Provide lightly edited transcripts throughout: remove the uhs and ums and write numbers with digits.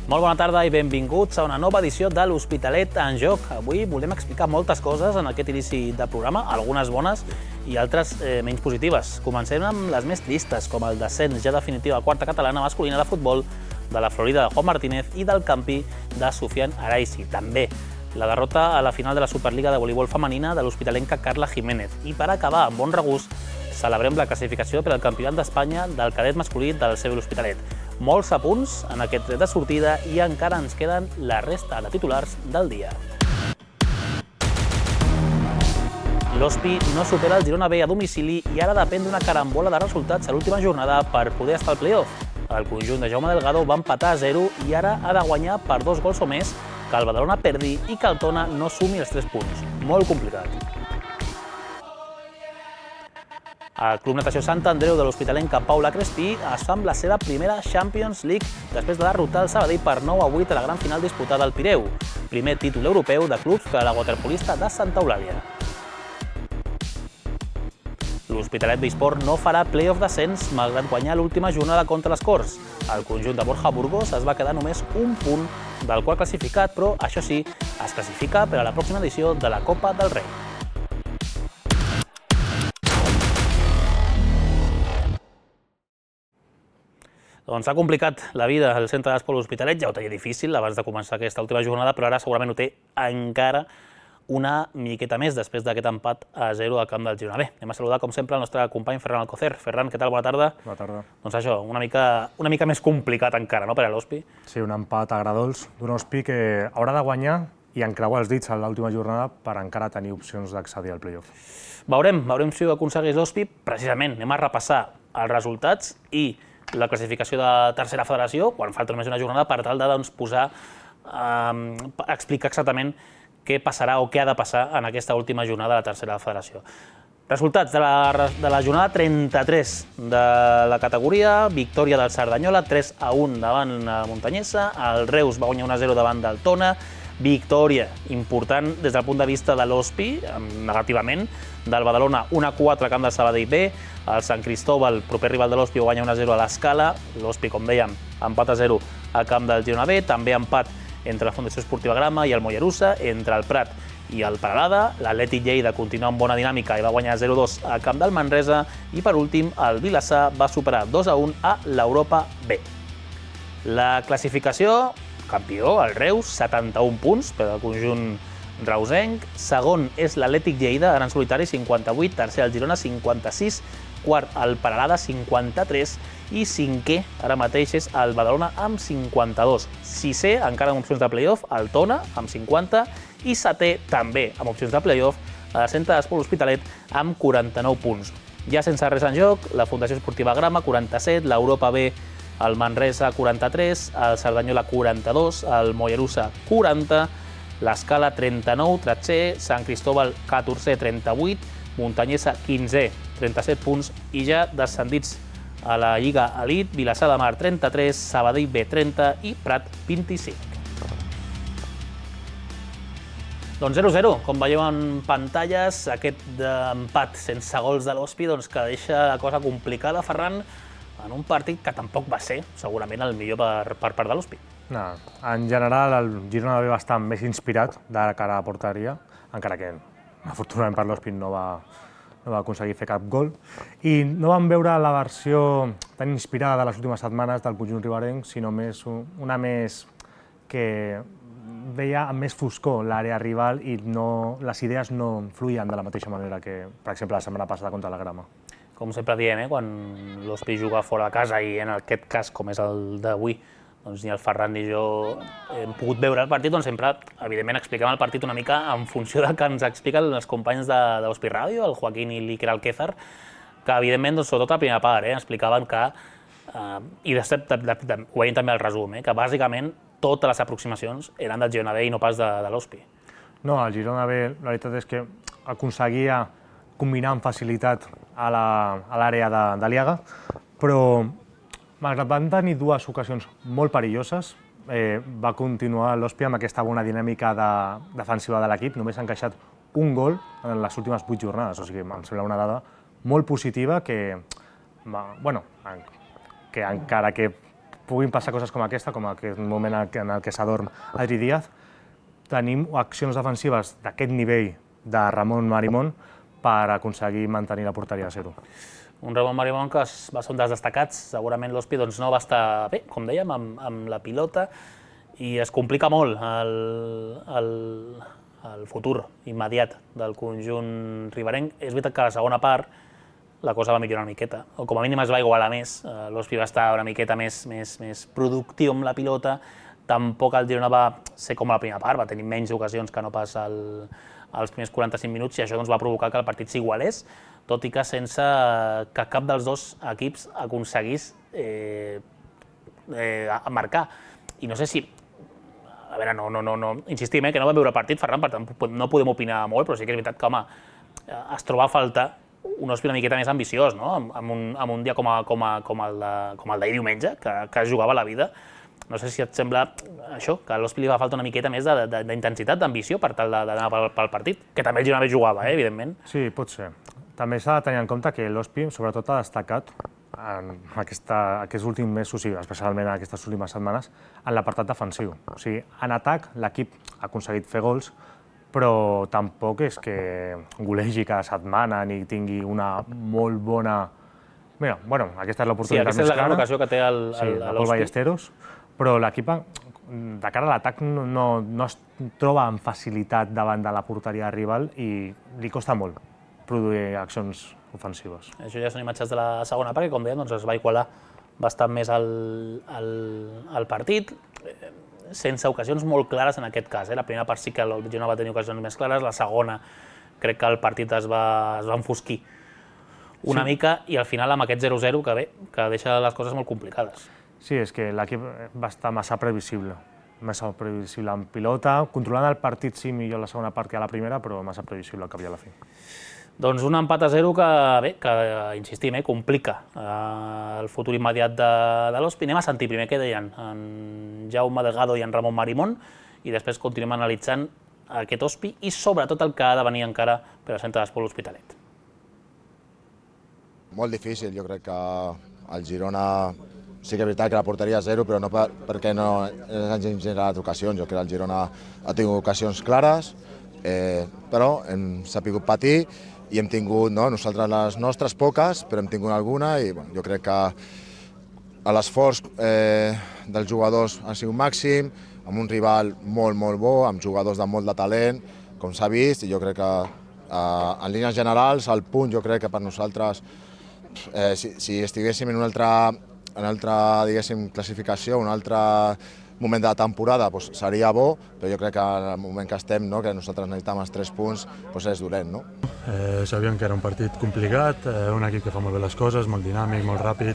Molt bona tarda i benvinguts a una nova edició de l'Hospitalet en Joc. Avui volem explicar moltes coses en aquest inici de programa, algunes bones i altres menys positives. Comencem amb les més tristes, com el descens ja definitiu a la quarta catalana masculina de futbol de la Florida de Juan Martínez i del Campi de Sufian Araisi. També la derrota a la final de la Superliga de voleibol femenina de l'hospitalenca Carla Jiménez. I per acabar amb bon regust, celebrem la classificació per al Campionat d'Espanya del cadet masculí del CB l'Hospitalet. Molts apunts en aquest tret de sortida i encara ens queden la resta de titulars del dia. L'Hospi no supera el Girona B a domicili i ara depèn d'una carambola de resultats a l'última jornada per poder estar al play-off. El conjunt de Jaume Delgado va empatar a 0 i ara ha de guanyar per 2 gols o més, que el Badalona perdi i que el Tona no sumi els 3 punts. Molt complicat. El Club Natació Sant Andreu de l'hospitalenca Paula Crespí es fa amb la seva primera Champions League després de derrotar el Sabadell per 9-8 a la gran final disputada al Pireu, primer títol europeu de clubs per a la waterpolista de Santa Eulàlia. L'Hospitalet Besport no farà play-off descens malgrat guanyar l'última jornada contra les Corts. El conjunt de Borja Burgos es va quedar només un punt del qual classificat, però això sí, es classifica per a la pròxima edició de la Copa del Rei. Doncs s'ha complicat la vida al centre d'esport L'Hospitalet, ja ho tenia difícil abans de començar aquesta última jornada, però ara segurament ho té encara una miqueta més després d'aquest empat a 0 al camp del Girona B. Anem a saludar, com sempre, el nostre company Ferran Alcocer. Ferran, què tal? Bona tarda. Bona tarda. Doncs això, una mica més complicat encara, no?, per a l'Hospi. Sí, un empat agradols d'un Hospi que haurà de guanyar i encreuar els dits a l'última jornada per encara tenir opcions d'accedir al play-off. Veurem si ho aconsegueix l'Hospi. Precisament, anem a repassar els resultats i la classificació de tercera federació, quan falta només una jornada, per tal de explicar exactament què passarà o què ha de passar en aquesta última jornada de la tercera federació. Resultats de la jornada 33 de la categoria: victòria del Cerdanyola, 3-1 davant la Muntanyesa, el Reus va guanyar 1-0 davant del Tona, victòria important des del punt de vista de l'Hospi, negativament, del Badalona 1-4 a camp del Sabadell B, el Sant Cristóbal, proper rival de l'Hospi, va guanyar 1-0 a l'Escala, l'Hospi, com dèiem, empat a 0 a camp del Girona B, també empat entre la Fundació Esportiva Grama i el Mollerussa, entre el Prat i el Peralada, l'Atlètic Lleida continua amb bona dinàmica i va guanyar 0-2 a camp del Manresa, i per últim el Vilassar va superar 2-1 a l'Europa B. La classificació: campió, el Reus, 71 punts per al conjunt reusenc. Segon és l'Atlètic Lleida, ara en solitari, 58. Tercer el Girona, 56. Quart el Peralada, 53. I cinquè, ara mateix, és el Badalona amb 52. Sisè, encara amb opcions de play-off, el Tona amb 50. I setè, també amb opcions de play-off, el Centre d'Esport L'Hospitalet amb 49 punts. Ja sense res en joc, la Fundació Esportiva Grama, 47. L'Europa B, el Manresa, 43, el Cerdanyola, 42, el Mollerussa, 40, l'Escala, 39, 13è, Sant Cristóbal, 14è, 38, Muntanyesa, 15è, 37 punts, i ja descendits a la Lliga Elit, Vilassar de Mar, 33, Sabadell B, 30 i Prat, 25. Doncs 0-0, com veieu en pantalles, aquest empat sense gols de l'Hospi que deixa la cosa complicada, Ferran, en un partit que tampoc va ser segurament el millor per part de l'Hospi. En general, el Girona va estar més inspirat de cara a la porteria, encara que, afortunadament per l'Hospi, no va aconseguir fer cap gol. I no vam veure la versió tan inspirada de les últimes setmanes del conjunt riberenc, sinó una més que veia amb més foscor l'àrea rival i les idees no fluïen de la mateixa manera que, per exemple, la setmana passada contra la Grama. Com sempre diem, quan l'Hospi juga fora de casa, i en aquest cas, com és el d'avui, ni el Ferran ni jo hem pogut veure el partit, doncs sempre, evidentment, expliquem el partit una mica en funció del que ens expliquen els companys d'Hospi Ràdio, el Joaquín i l'Iker Alquézar, que, evidentment, sobretot a la primera part, explicaven que, i ho veiem també al resum, que bàsicament totes les aproximacions eren del Girona B i no pas de l'Hospi. No, el Girona B, la veritat és que aconseguia combinar amb facilitat a l'àrea de Liaga, però malgrat van tenir dues ocasions molt perilloses, va continuar l'Hospi amb aquesta bona dinàmica defensiva de l'equip. Només ha encaixat un gol en les últimes 8 jornades, o sigui, em sembla una dada molt positiva que encara que puguin passar coses com aquesta, com aquest moment en el que s'adorm Adri Díaz, tenim accions defensives d'aquest nivell de Ramon Marimón per aconseguir mantenir la porteria a 0. Un Ramon Marimón que va ser un dels destacats, segurament l'Hospi no va estar bé, com dèiem, amb la pilota, i es complica molt el futur immediat del conjunt riberenc. És veritat que a la segona part la cosa va millorar una miqueta, o com a mínim es va igualar més. L'Hospi va estar una miqueta més productiu amb la pilota, tampoc el Girona va ser com a la primera part, va tenir menys ocasions que no pas als primers 45 minuts, i això va provocar que el partit s'igualés, tot i que sense que cap dels dos equips aconseguís marcar. I no sé si... A veure, insistim, que no vam veure el partit, Ferran, per tant no podem opinar molt, però sí que és veritat que, home, es troba a faltar un Hospi una miqueta més ambiciós, no? En un dia com el d'ahir diumenge, que es jugava la vida. No sé si et sembla això, que a l'Hospi li va falta una miqueta més d'intensitat, d'ambició per tal d'anar pel partit, que també el Girona bé jugava, evidentment. Sí, pot ser. També s'ha de tenir en compte que l'Hospi sobretot ha destacat en aquests últims mesos, i especialment en aquestes últimes setmanes, en l'apartat defensiu. O sigui, en atac l'equip ha aconseguit fer gols, però tampoc és que golegi cada setmana ni tingui una molt bona... Mira, bueno, aquesta és l'oportunitat més clara. Sí, aquesta és la gran ocasió que té l'Hospi. Ballesteros, però l'equip, de cara a l'atac, no es troba amb facilitat davant de la porteria rival i li costa molt produir accions ofensives. Això ja són imatges de la segona part, que com dèiem es va igualar bastant més el partit, sense ocasions molt clares en aquest cas. La primera part sí que el Girona va tenir ocasions més clares, la segona crec que el partit es va enfosquir una mica, i al final amb aquest 0-0 que deixa les coses molt complicades. Sí, és que l'equip va estar massa previsible en pilota, controlant el partit sí millor la segona part que a la primera, però massa previsible al cap i a la fi. Doncs un empat a 0 que insistim, complica el futur immediat de l'Hospi. Anem a sentir primer què deien en Jaume Delgado i en Ramon Marimón, i després continuem analitzant aquest Hospi i sobretot el que ha de venir encara per al Centre d'Esport L'Hospitalet. Molt difícil, jo crec que el Girona sí que és veritat que la porteria és 0, però no perquè no hagin generat ocasions. Jo crec que el Girona ha tingut ocasions clares, però hem sabut patir i hem tingut, nosaltres les nostres poques, però hem tingut alguna, i jo crec que l'esforç dels jugadors ha sigut màxim, amb un rival molt bo, amb jugadors de molt de talent, com s'ha vist, i jo crec que en línies generals el punt jo crec que per nosaltres, si estiguéssim en una altra diguéssim, classificació, un altre moment de la temporada seria bo, però jo crec que en el moment que estem, que nosaltres necessitem els 3 punts, és dolent. Sabíem que era un partit complicat, un equip que fa molt bé les coses, molt dinàmic, molt ràpid,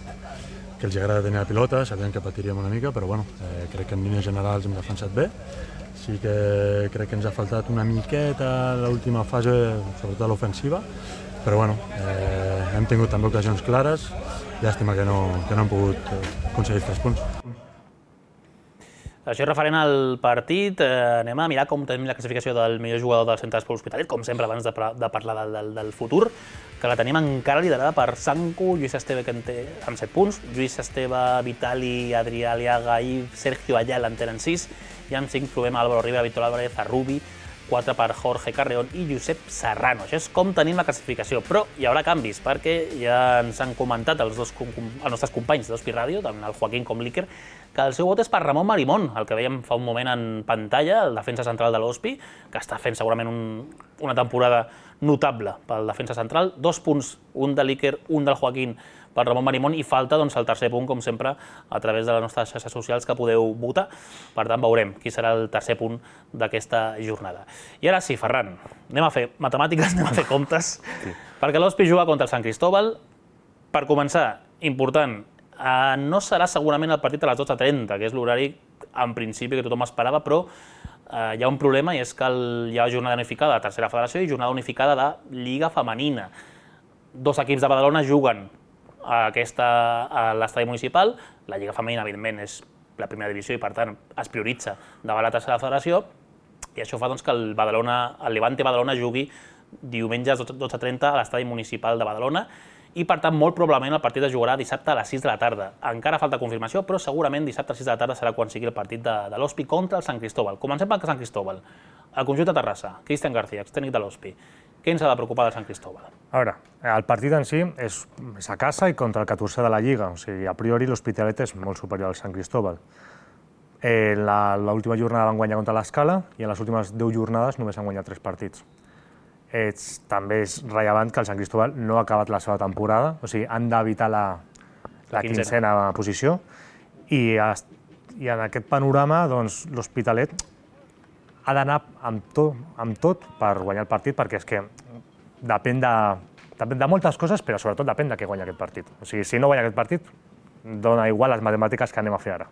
que els agrada tenir la pilota, sabíem que patiríem una mica, però crec que en línies generals hem defensat bé. Sí que crec que ens ha faltat una miqueta a l'última fase, sobretot a l'ofensiva, però hem tingut també ocasions clares, llàstima que no hem pogut aconseguir 3 punts. Això és referent al partit. Anem a mirar com tenim la classificació del millor jugador del Centre d'Esport L'Hospitalet, com sempre abans de parlar del futur, que la tenim encara liderada per Sanku, Lluís Esteve amb 7 punts, Lluís Esteve, Vitali, Adrià Aliaga i Sergio Ayala en tenen 6, i amb 5 trobem Álvaro Rivera, Víctor Álvarez, Arrubi, 4 per Jorge Carreón i Josep Serrano. Això és com tenim la classificació, però hi haurà canvis, perquè ja ens han comentat els nostres companys d'Hospi Ràdio, tant el Joaquín com l'Iker, que el seu vot és per Ramon Marimón, el que veiem fa un moment en pantalla, el defensa central de l'Hospi, que està fent segurament una temporada notable pel defensa central. 2 punts, un de l'Iker, un del Joaquín per Ramon Marimón, i falta el tercer punt, com sempre, a través de les nostres xarxes socials que podeu votar. Per tant, veurem qui serà el tercer punt d'aquesta jornada. I ara sí, Ferran, anem a fer matemàtiques, anem a fer comptes, perquè l'Hospi juga contra el Sant Cristóbal. Per començar, important, no serà segurament el partit a les 12:30, que és l'horari, en principi, que tothom esperava, però hi ha un problema, i és que hi ha jornada unificada de Tercera Federació i jornada unificada de Lliga Femenina. 2 equips de Badalona juguen a l'estadi municipal. La Lliga Femenina, evidentment, és la primera divisió i, per tant, es prioritza davant la Tercera Federació, i això fa que el Levante Badalona jugui diumenge a les 12:30 a l'estadi municipal de Badalona, i per tant molt probablement el partit es jugarà dissabte a les 6 de la tarda. Encara falta confirmació, però segurament dissabte a les 6 de la tarda serà quan sigui el partit de l'Hospi contra el Sant Cristóbal. Comencem pel Sant Cristóbal. El conjunt de Terrassa, Cristian García, extècnic de l'Hospi. Què ens ha de preocupar del Sant Cristóbal? A veure, el partit en si és a casa i contra el 14 de la Lliga. O sigui, a priori l'Hospitalet és molt superior al Sant Cristóbal. L'última jornada van guanyar contra l'Escala i en les últimes 10 jornades només han guanyat 3 partits. També és rellevant que el Sant Cristóbal no ha acabat la seva temporada, o sigui, han d'evitar la quinzena posició i en aquest panorama doncs, l'Hospitalet ha d'anar amb tot per guanyar el partit, perquè és que depèn de moltes coses, però sobretot depèn de què guanya aquest partit. O sigui, si no guanya aquest partit, dona igual les matemàtiques que anem a fer ara.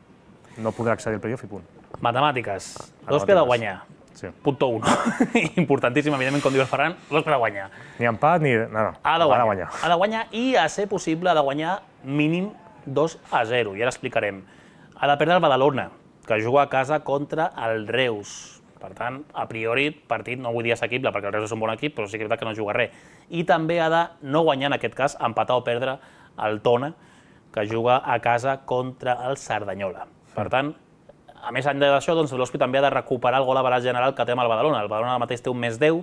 No podrà accedir al playoff i punt. Matemàtiques. L'Hospi ha de guanyar. Sí. Punto 1. Importantíssim, evidentment, com diu el Ferran, l'Hospi ha de guanyar. Ni empat, ni... No. Ha de guanyar. Ha de guanyar i, a ser possible, ha de guanyar mínim 2-0. I ara explicarem. Ha de perdre el Badalona, que juga a casa contra el Reus. Per tant, a priori, partit no vull dir assequible, perquè el Reus és un bon equip, però sí que és veritat que no juga res. I també ha de no guanyar, en aquest cas, empatar o perdre el Tona, que juga a casa contra el Cerdanyola. Per tant, a més enllà d'això, doncs, l'Hospi també ha de recuperar el gol average general que té amb el Badalona. El Badalona ara mateix té un més 10,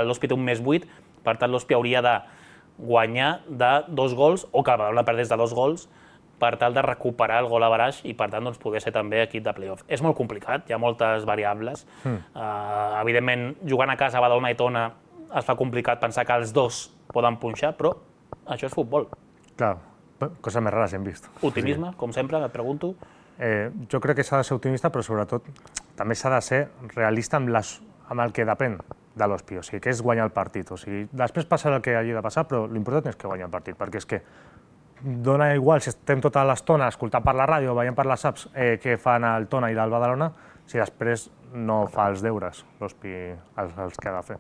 l'Hospi té un més 8, per tant, l'Hospi hauria de guanyar de 2 gols, o que el Badalona perdés de 2 gols, per tal de recuperar el gol average i, per tant, doncs, poder ser també equip de playoff. És molt complicat, hi ha moltes variables. Evidentment, jugant a casa a Badalona i Tona es fa complicat pensar que els dos poden punxar, però això és futbol. Clar, coses més rares hem vist. Optimisme, com sempre, et pregunto. Jo crec que s'ha de ser optimista, però sobretot també s'ha de ser realista amb el que depèn de l'Hospi, o sigui, que és guanyar el partit. O sigui, després passarà el que hagi de passar, però l'important és que guanyi el partit, perquè és que dona igual si estem tota l'estona escoltant per la ràdio o veient per les apps què fan el Tona i el Badalona, si després no fa els deures l'Hospi els que ha de fer.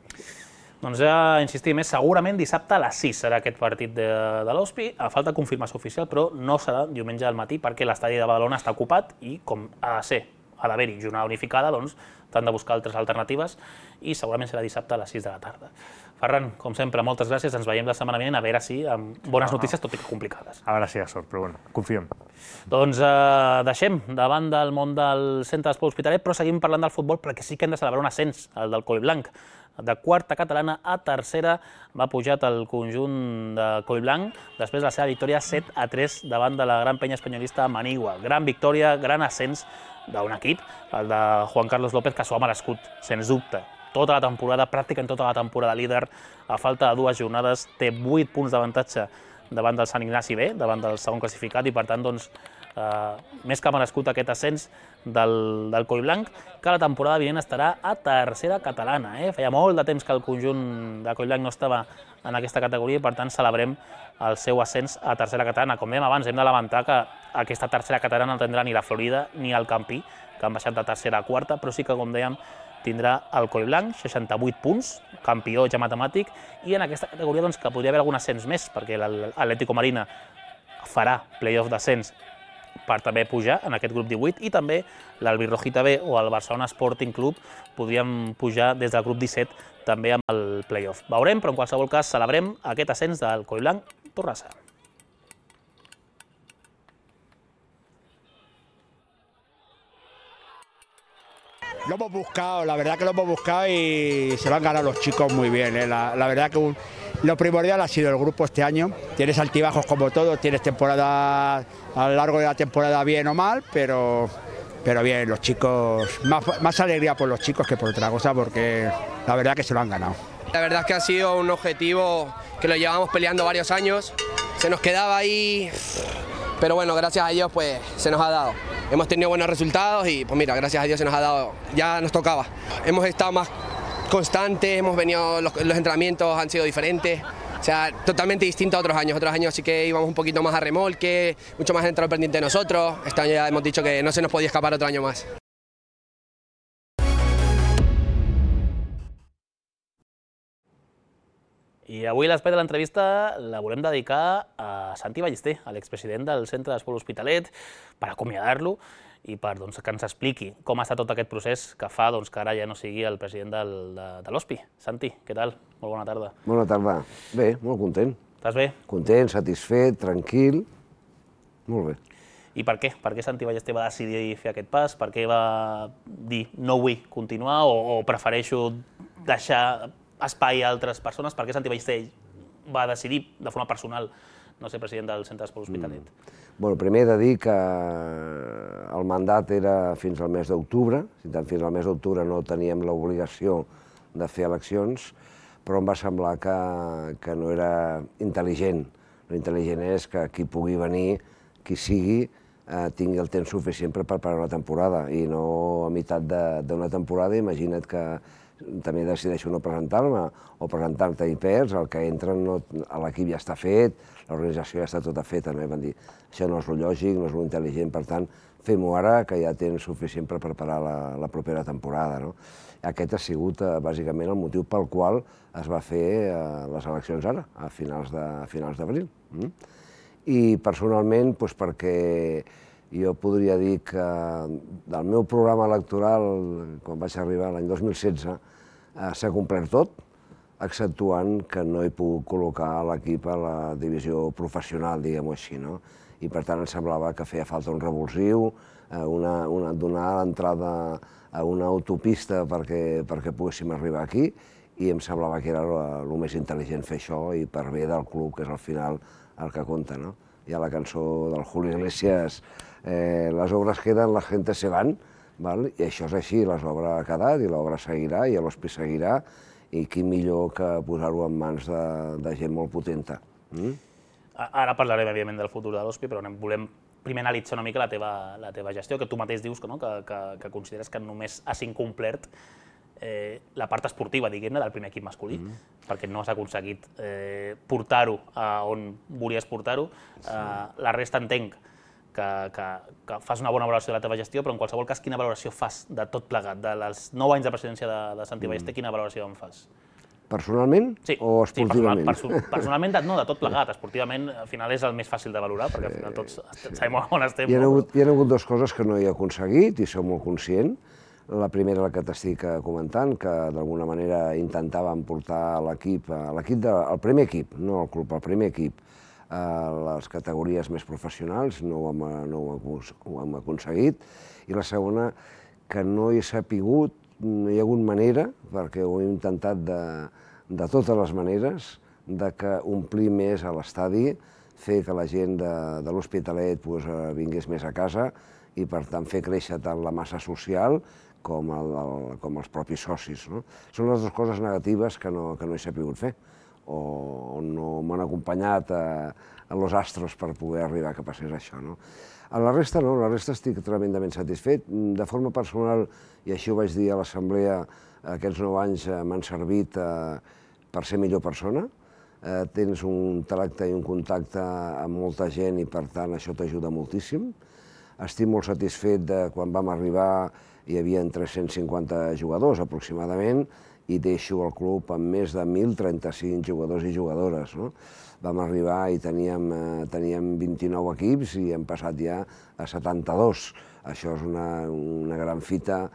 Doncs ja insistim, segurament dissabte a les 6 serà aquest partit de l'Hospi, a falta de confirmació oficial, però no serà diumenge al matí perquè l'estadi de Badalona està ocupat i com ha de ser, ha d'haver-hi jornada unificada, doncs t'han de buscar altres alternatives i segurament serà dissabte a les 6 de la tarda. Ferran, com sempre, moltes gràcies, ens veiem la setmana vinent, a veure si amb bones notícies, tot i que complicades. A veure si hi ha sort, però bueno, confiem. Doncs deixem davant del món del centre d'esport hospitalet, però seguim parlant del futbol perquè sí que hem de celebrar un ascens, el del Collblanc. De quarta catalana a tercera va pujat el conjunt de Collblanc després de la seva victòria 7-3 davant de la gran penya espanyolista Manigua. Gran victòria, gran ascens d'un equip, el de Juan Carlos López, que s'ho ha merescut, sens dubte. Tota la temporada, pràcticament tota la temporada líder, a falta de 2 jornades, té 8 punts d'avantatge davant del Sant Ignasi B, davant del segon classificat, i per tant, doncs, més que merescut aquest ascens del Collblanc, que la temporada vinent estarà a tercera catalana. Feia molt de temps que el conjunt de Collblanc no estava en aquesta categoria i, per tant, celebrem el seu ascens a tercera catalana. Com dèiem abans, hem de lamentar que aquesta tercera catalana no tindrà ni la Florida ni el Campí, que han baixat de tercera a quarta, però sí que, com dèiem, tindrà el Collblanc, 68 punts, campió ja matemàtic, i en aquesta categoria doncs, que podria haver algun ascens més, perquè l'Atlético Marina farà playoff d'ascens per també pujar en aquest grup 18, i també l'Albirrojita B o el Barcelona Sporting Club podrien pujar des del grup 17 també amb el playoff. Veurem, però en qualsevol cas celebrem aquest ascens del Collblanc Torrassa. Lo hemos buscado, la verdad que lo hemos buscado y se lo han ganado los chicos muy bien. La verdad que lo primordial ha sido el grupo este año. Tienes altibajos como todo, tienes temporada a lo largo de la temporada bien o mal, pero bien, los chicos, más alegría por los chicos que por otra cosa, porque la verdad que se lo han ganado. La verdad es que ha sido un objetivo que lo llevamos peleando varios años, se nos quedaba ahí, pero bueno, gracias a Dios pues se nos ha dado. Hemos tenido buenos resultados y pues mira, gracias a Dios se nos ha dado, ya nos tocaba. Hemos estado más constantes, hemos venido, los entrenamientos han sido diferentes, o sea, totalmente distinto a otros años sí que íbamos un poquito más a remolque, mucho más entrenador pendiente de nosotros, este año ya hemos dicho que no se nos podía escapar otro año más. I avui l'espai de l'entrevista la volem dedicar a Santi Ballester, a l'expresident del Centre d'Esport Hospitalet, per acomiadar-lo i per que ens expliqui com ha estat tot aquest procés que fa que ara ja no sigui el president de l'Hospi. Santi, què tal? Molt bona tarda. Bona tarda. Bé, molt content. Estàs bé? Content, satisfet, tranquil. Molt bé. I per què? Per què Santi Ballester va decidir fer aquest pas? Per què va dir no vull continuar o prefereixo deixar espai a altres persones? Per què Santi Ballester va decidir de forma personal no ser president del Centre d'Esport Hospitalet? Bueno, primer he de dir que el mandat era fins al mes d'octubre, fins al mes d'octubre no teníem l'obligació de fer eleccions, però em va semblar que no era intel·ligent. L'intel·ligent és que qui pugui venir, qui sigui, tingui el temps suficient per preparar una temporada i no a meitat d'una temporada. Imagina't que també decideixo no presentar-me o presentar-te i perds, el que entra l'equip ja està fet, l'organització ja està tota feta, no? I van dir, això no és lo lògic, no és lo intel·ligent, per tant, fem-ho ara, que ja tens suficient per preparar la propera temporada, no? Aquest ha sigut bàsicament el motiu pel qual es va fer les eleccions ara, a finals d'abril. I personalment, perquè jo podria dir que del meu programa electoral, quan vaig arribar l'any 2016, s'ha complert tot, exceptuant que no he pogut col·locar l'equip a la divisió professional, diguem-ho així, no? I per tant em semblava que feia falta un revulsiu, donar l'entrada a una autopista perquè poguéssim arribar aquí, i em semblava que era el més intel·ligent fer això i per bé del club, que és al final el que compta, no? Hi ha la cançó del Julio Iglesias, les obres queden, la gente se van, i això és així, l'obra ha quedat i l'obra seguirà i l'Hospi seguirà, i qui millor que posar-ho en mans de gent molt potenta. Ara parlarem, evidentment, del futur de l'Hospi, però volem primer analitzar una mica la teva gestió, que tu mateix dius que consideres que només has incomplert la part esportiva, diguem-ne, del primer equip masculí, perquè no has aconseguit portar-ho on volies portar-ho. La resta entenc que fas una bona valoració de la teva gestió, però en qualsevol cas, quina valoració fas de tot plegat? Dels 9 anys de presidència de Santi Ballester, quina valoració en fas? Personalment o esportivament? Sí, personalment no, de tot plegat. Esportivament, al final, és el més fàcil de valorar, perquè al final tots sabem on estem. Hi ha hagut dues coses que no he aconseguit, i soc molt conscient. La primera, la que t'estic comentant, que d'alguna manera intentàvem portar l'equip, el primer equip, no el club, el primer equip, a les categories més professionals, no ho hem aconseguit. I la segona, que no he sapigut, no hi ha hagut manera, perquè ho he intentat de totes les maneres, de que omplir més a l'estadi, fer que la gent de l'Hospitalet vingués més a casa i, per tant, fer créixer tant la massa social com els propis socis. Són les dues coses negatives que no he sapigut fer, o no m'han acompanyat a los astros per poder arribar que passés això. A la resta no, la resta estic tremendament satisfet. De forma personal, i així ho vaig dir a l'assemblea, aquests 9 anys m'han servit per ser millor persona. Tens un tracte i un contacte amb molta gent i, per tant, això t'ajuda moltíssim. Estic molt satisfet de quan vam arribar, hi havia 350 jugadors aproximadament, i deixo el club amb més de 1.035 jugadors i jugadores. Vam arribar i teníem 29 equips i hem passat ja a 72. Això és una gran fita.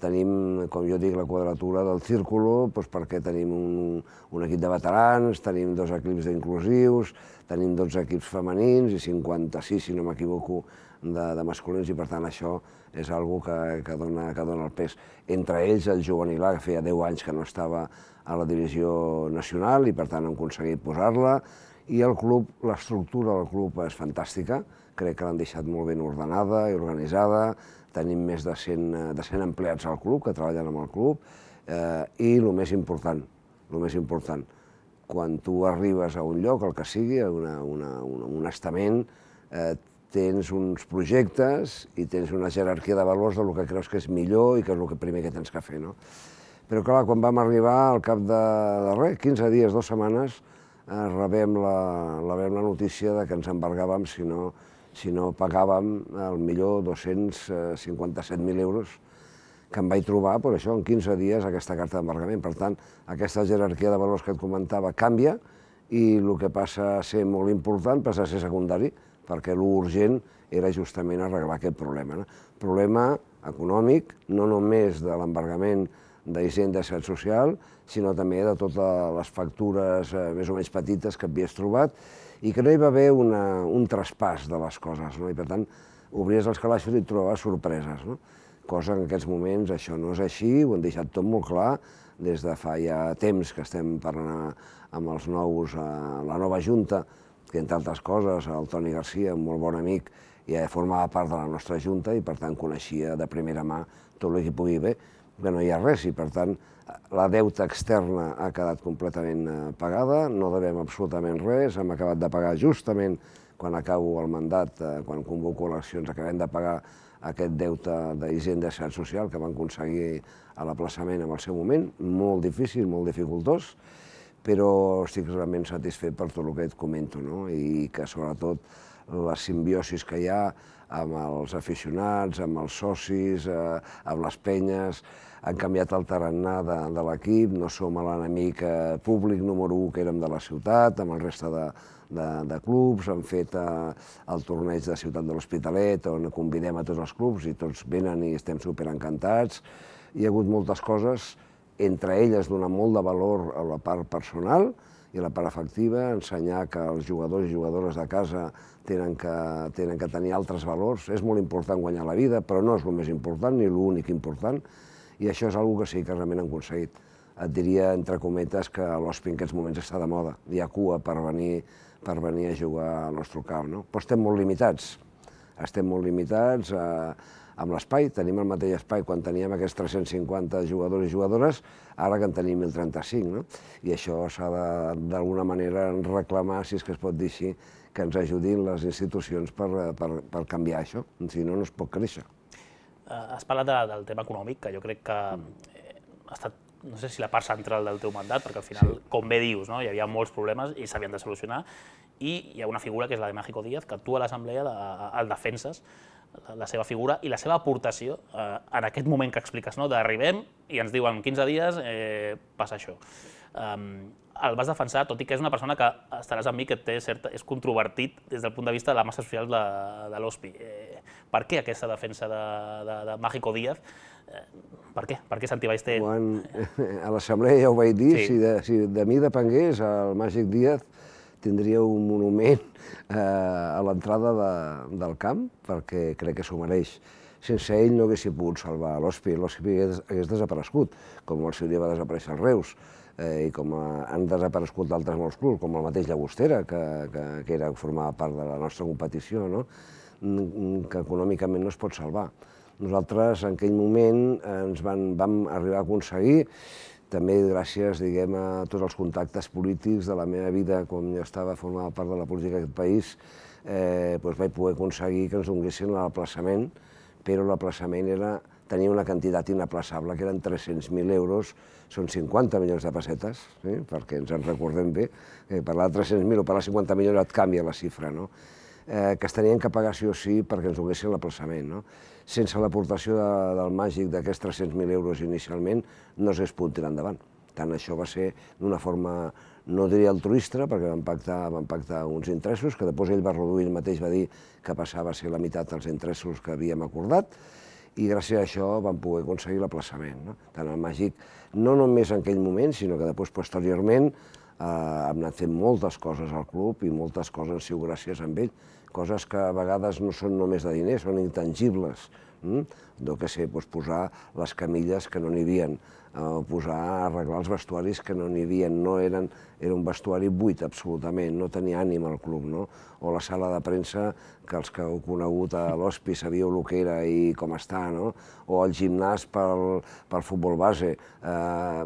Tenim, com jo dic, la quadratura del círculo, perquè tenim un equip de veterans, tenim 2 equips d'inclusius, tenim 12 equips femenins i 56, si no m'equivoco, de masculins, i per tant això és una cosa que dona el pes. Entre ells el juvenil A, que feia 10 anys que no estava a la divisió nacional i per tant hem aconseguit posar-la, i el club, l'estructura del club és fantàstica, crec que l'han deixat molt ben ordenada i organitzada, tenim més de 100 empleats al club que treballen amb el club, i el més important, quan tu arribes a un lloc, el que sigui, a un estament, tens uns projectes i tens una jerarquia de valors del que creus que és millor i que és el primer que tens que fer. Però clar, quan vam arribar, al cap de 15 dies, 2 setmanes, rebem la notícia que ens embargàvem si no pagàvem al millor 257.000 euros, que em vaig trobar, per això, en 15 dies, aquesta carta d'embargament. Per tant, aquesta jerarquia de valors que et comentava canvia i el que passa a ser molt important passa a ser secundari, perquè l'urgent era justament arreglar aquest problema. Problema econòmic, no només de l'embargament d'Hisenda i Seguretat Social, sinó també de totes les factures més o menys petites que havies trobat i que no hi va haver un traspàs de les coses, i per tant obries els calaixos i et trobaves sorpreses, cosa que en aquests moments això no és així, ho han deixat tot molt clar, des de fa ja temps que estem parlant amb els nous, la nova Junta, que entre altres coses el Toni Garcia, un molt bon amic, ja formava part de la nostra Junta i per tant coneixia de primera mà tot el que pugui haver, que no hi ha res i per tant la deuta externa ha quedat completament pagada, no devem absolutament res, hem acabat de pagar justament quan acabo el mandat, quan convoco eleccions, acabem de pagar aquest deute d'Hisenda i Seguretat Social que van aconseguir a l'aplaçament en el seu moment, molt difícil, molt dificultós, però estic realment satisfet per tot el que et comento, i que sobretot la simbiosi que hi ha amb els aficionats, amb els socis, amb les penyes, han canviat el tarannà de l'equip, no som l'enemic públic número 1 que érem de la ciutat, amb el resta de clubs, han fet el torneig de Ciutat de l'Hospitalet, on convidem a tots els clubs i tots venen i estem superencantats. Hi ha hagut moltes coses, entre elles donar molt de valor a la part personal i la part afectiva, ensenyar que els jugadors i jugadores de casa tenen que tenir altres valors. És molt important guanyar la vida, però no és el més important ni l'únic important, i això és una cosa que sí que realment han aconseguit. Et diria, entre cometes, que l'Hospi en aquests moments està de moda. Hi ha cua per venir a jugar al nostre camp. Però estem molt limitats amb l'espai. Tenim el mateix espai quan teníem aquests 350 jugadors i jugadores, ara que en tenim 1035. I això s'ha d'alguna manera reclamar, si és que es pot dir així, que ens ajudin les institucions per canviar això. Si no, no es pot créixer. Has parlat del tema econòmic, que jo crec que ha estat, no sé si la part central del teu mandat, perquè al final, com bé dius, hi havia molts problemes i s'havien de solucionar, i hi ha una figura que és la de Mágico Díaz, que tu a l'assemblea el defenses, la seva figura i la seva aportació en aquest moment que expliques, d'arribem i ens diuen 15 dies passa això. El vas defensar, tot i que és una persona que estaràs amb mi que és controvertit des del punt de vista de la massa social de l'Hospi. Per què aquesta defensa de Mágico Díaz? Per què? Per què Santi Ballester? A l'assemblea ja ho vaig dir, si de mi depengués, el Màgic Díaz tindria un monument a l'entrada del camp, perquè crec que s'ho mereix. Sense ell no haguéssim pogut salvar l'Hospi, l'Hospi hagués desaparegut, com el seu dia va desaparèixer el Reus, i com han desaparegut d'altres molts clubs, com el mateix Llagostera, que formava part de la nostra competició, que econòmicament no es pot salvar. Nosaltres en aquell moment ens vam arribar a aconseguir, també gràcies a tots els contactes polítics de la meva vida, quan jo formava part de la política d'aquest país, vaig poder aconseguir que ens donessin l'aplaçament, però l'aplaçament tenia una quantitat inaplaçable, que eren 300.000 euros, són 50 milions de pessetes, perquè ens en recordem bé, parlar de 300.000 o parlar de 50 milions et canvia la xifra, que es tenien que pagar sí o sí perquè ens donessin l'aplaçament. Sense l'aportació del Màgic d'aquests 300.000 euros inicialment no s'hagués pogut tirar endavant. Tant això va ser d'una forma, no diria altruista, perquè vam pactar uns interessos, que després ell va reduir, ell mateix va dir que passava a ser la meitat dels interessos que havíem acordat, i gràcies a això vam poder aconseguir l'aplaçament. Tant el Màgic, no només en aquell moment, sinó que després, posteriorment, hem anat fent moltes coses al club i moltes coses han sigut gràcies a ell, coses que a vegades no són només de diners, són intangibles. Posar les camilles que no n'hi havia, arreglar els vestuaris que no n'hi havia, era un vestuari buit absolutament, no tenia ànima al club, o la sala de premsa, que els que heu conegut a l'Hospi sabíeu el que era i com està, o el gimnàs pel futbol base. Ha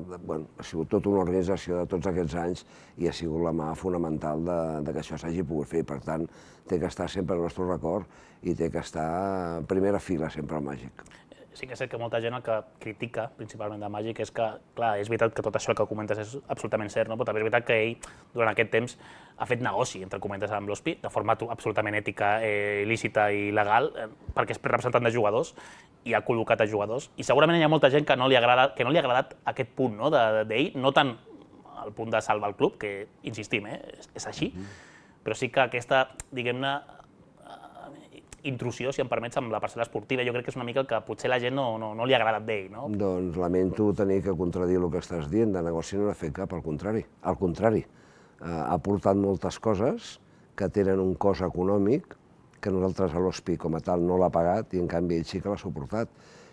sigut tota una organització de tots aquests anys i ha sigut la mà fonamental que això s'hagi pogut fer. Per tant, té que estar sempre al nostre record i té que estar en primera fila sempre al Màgic. Sí que és cert que molta gent el que critica, principalment de Màgic, és que, clar, és veritat que tot això que comentes és absolutament cert, però també és veritat que ell, durant aquest temps, ha fet negoci, entre comentes, amb l'Hospi, de forma absolutament ètica, il·lícita i legal, perquè és representant de jugadors i ha col·locat a jugadors. I segurament hi ha molta gent que no li ha agradat aquest punt d'ell, no tant el punt de salvar el club, que, insistim, és així, però sí que aquesta, diguem-ne, intrusió, si em permets, amb la parcel·la esportiva. Jo crec que és una mica el que potser la gent no li ha agradat d'ell, no? Doncs lamento tenir que contradir el que estàs dient, de negoci no n'ha fet cap, al contrari. Al contrari, ha portat moltes coses que tenen un cost econòmic que nosaltres a l'Hospi com a tal no l'ha pagat i en canvi ell sí que l'ha suportat.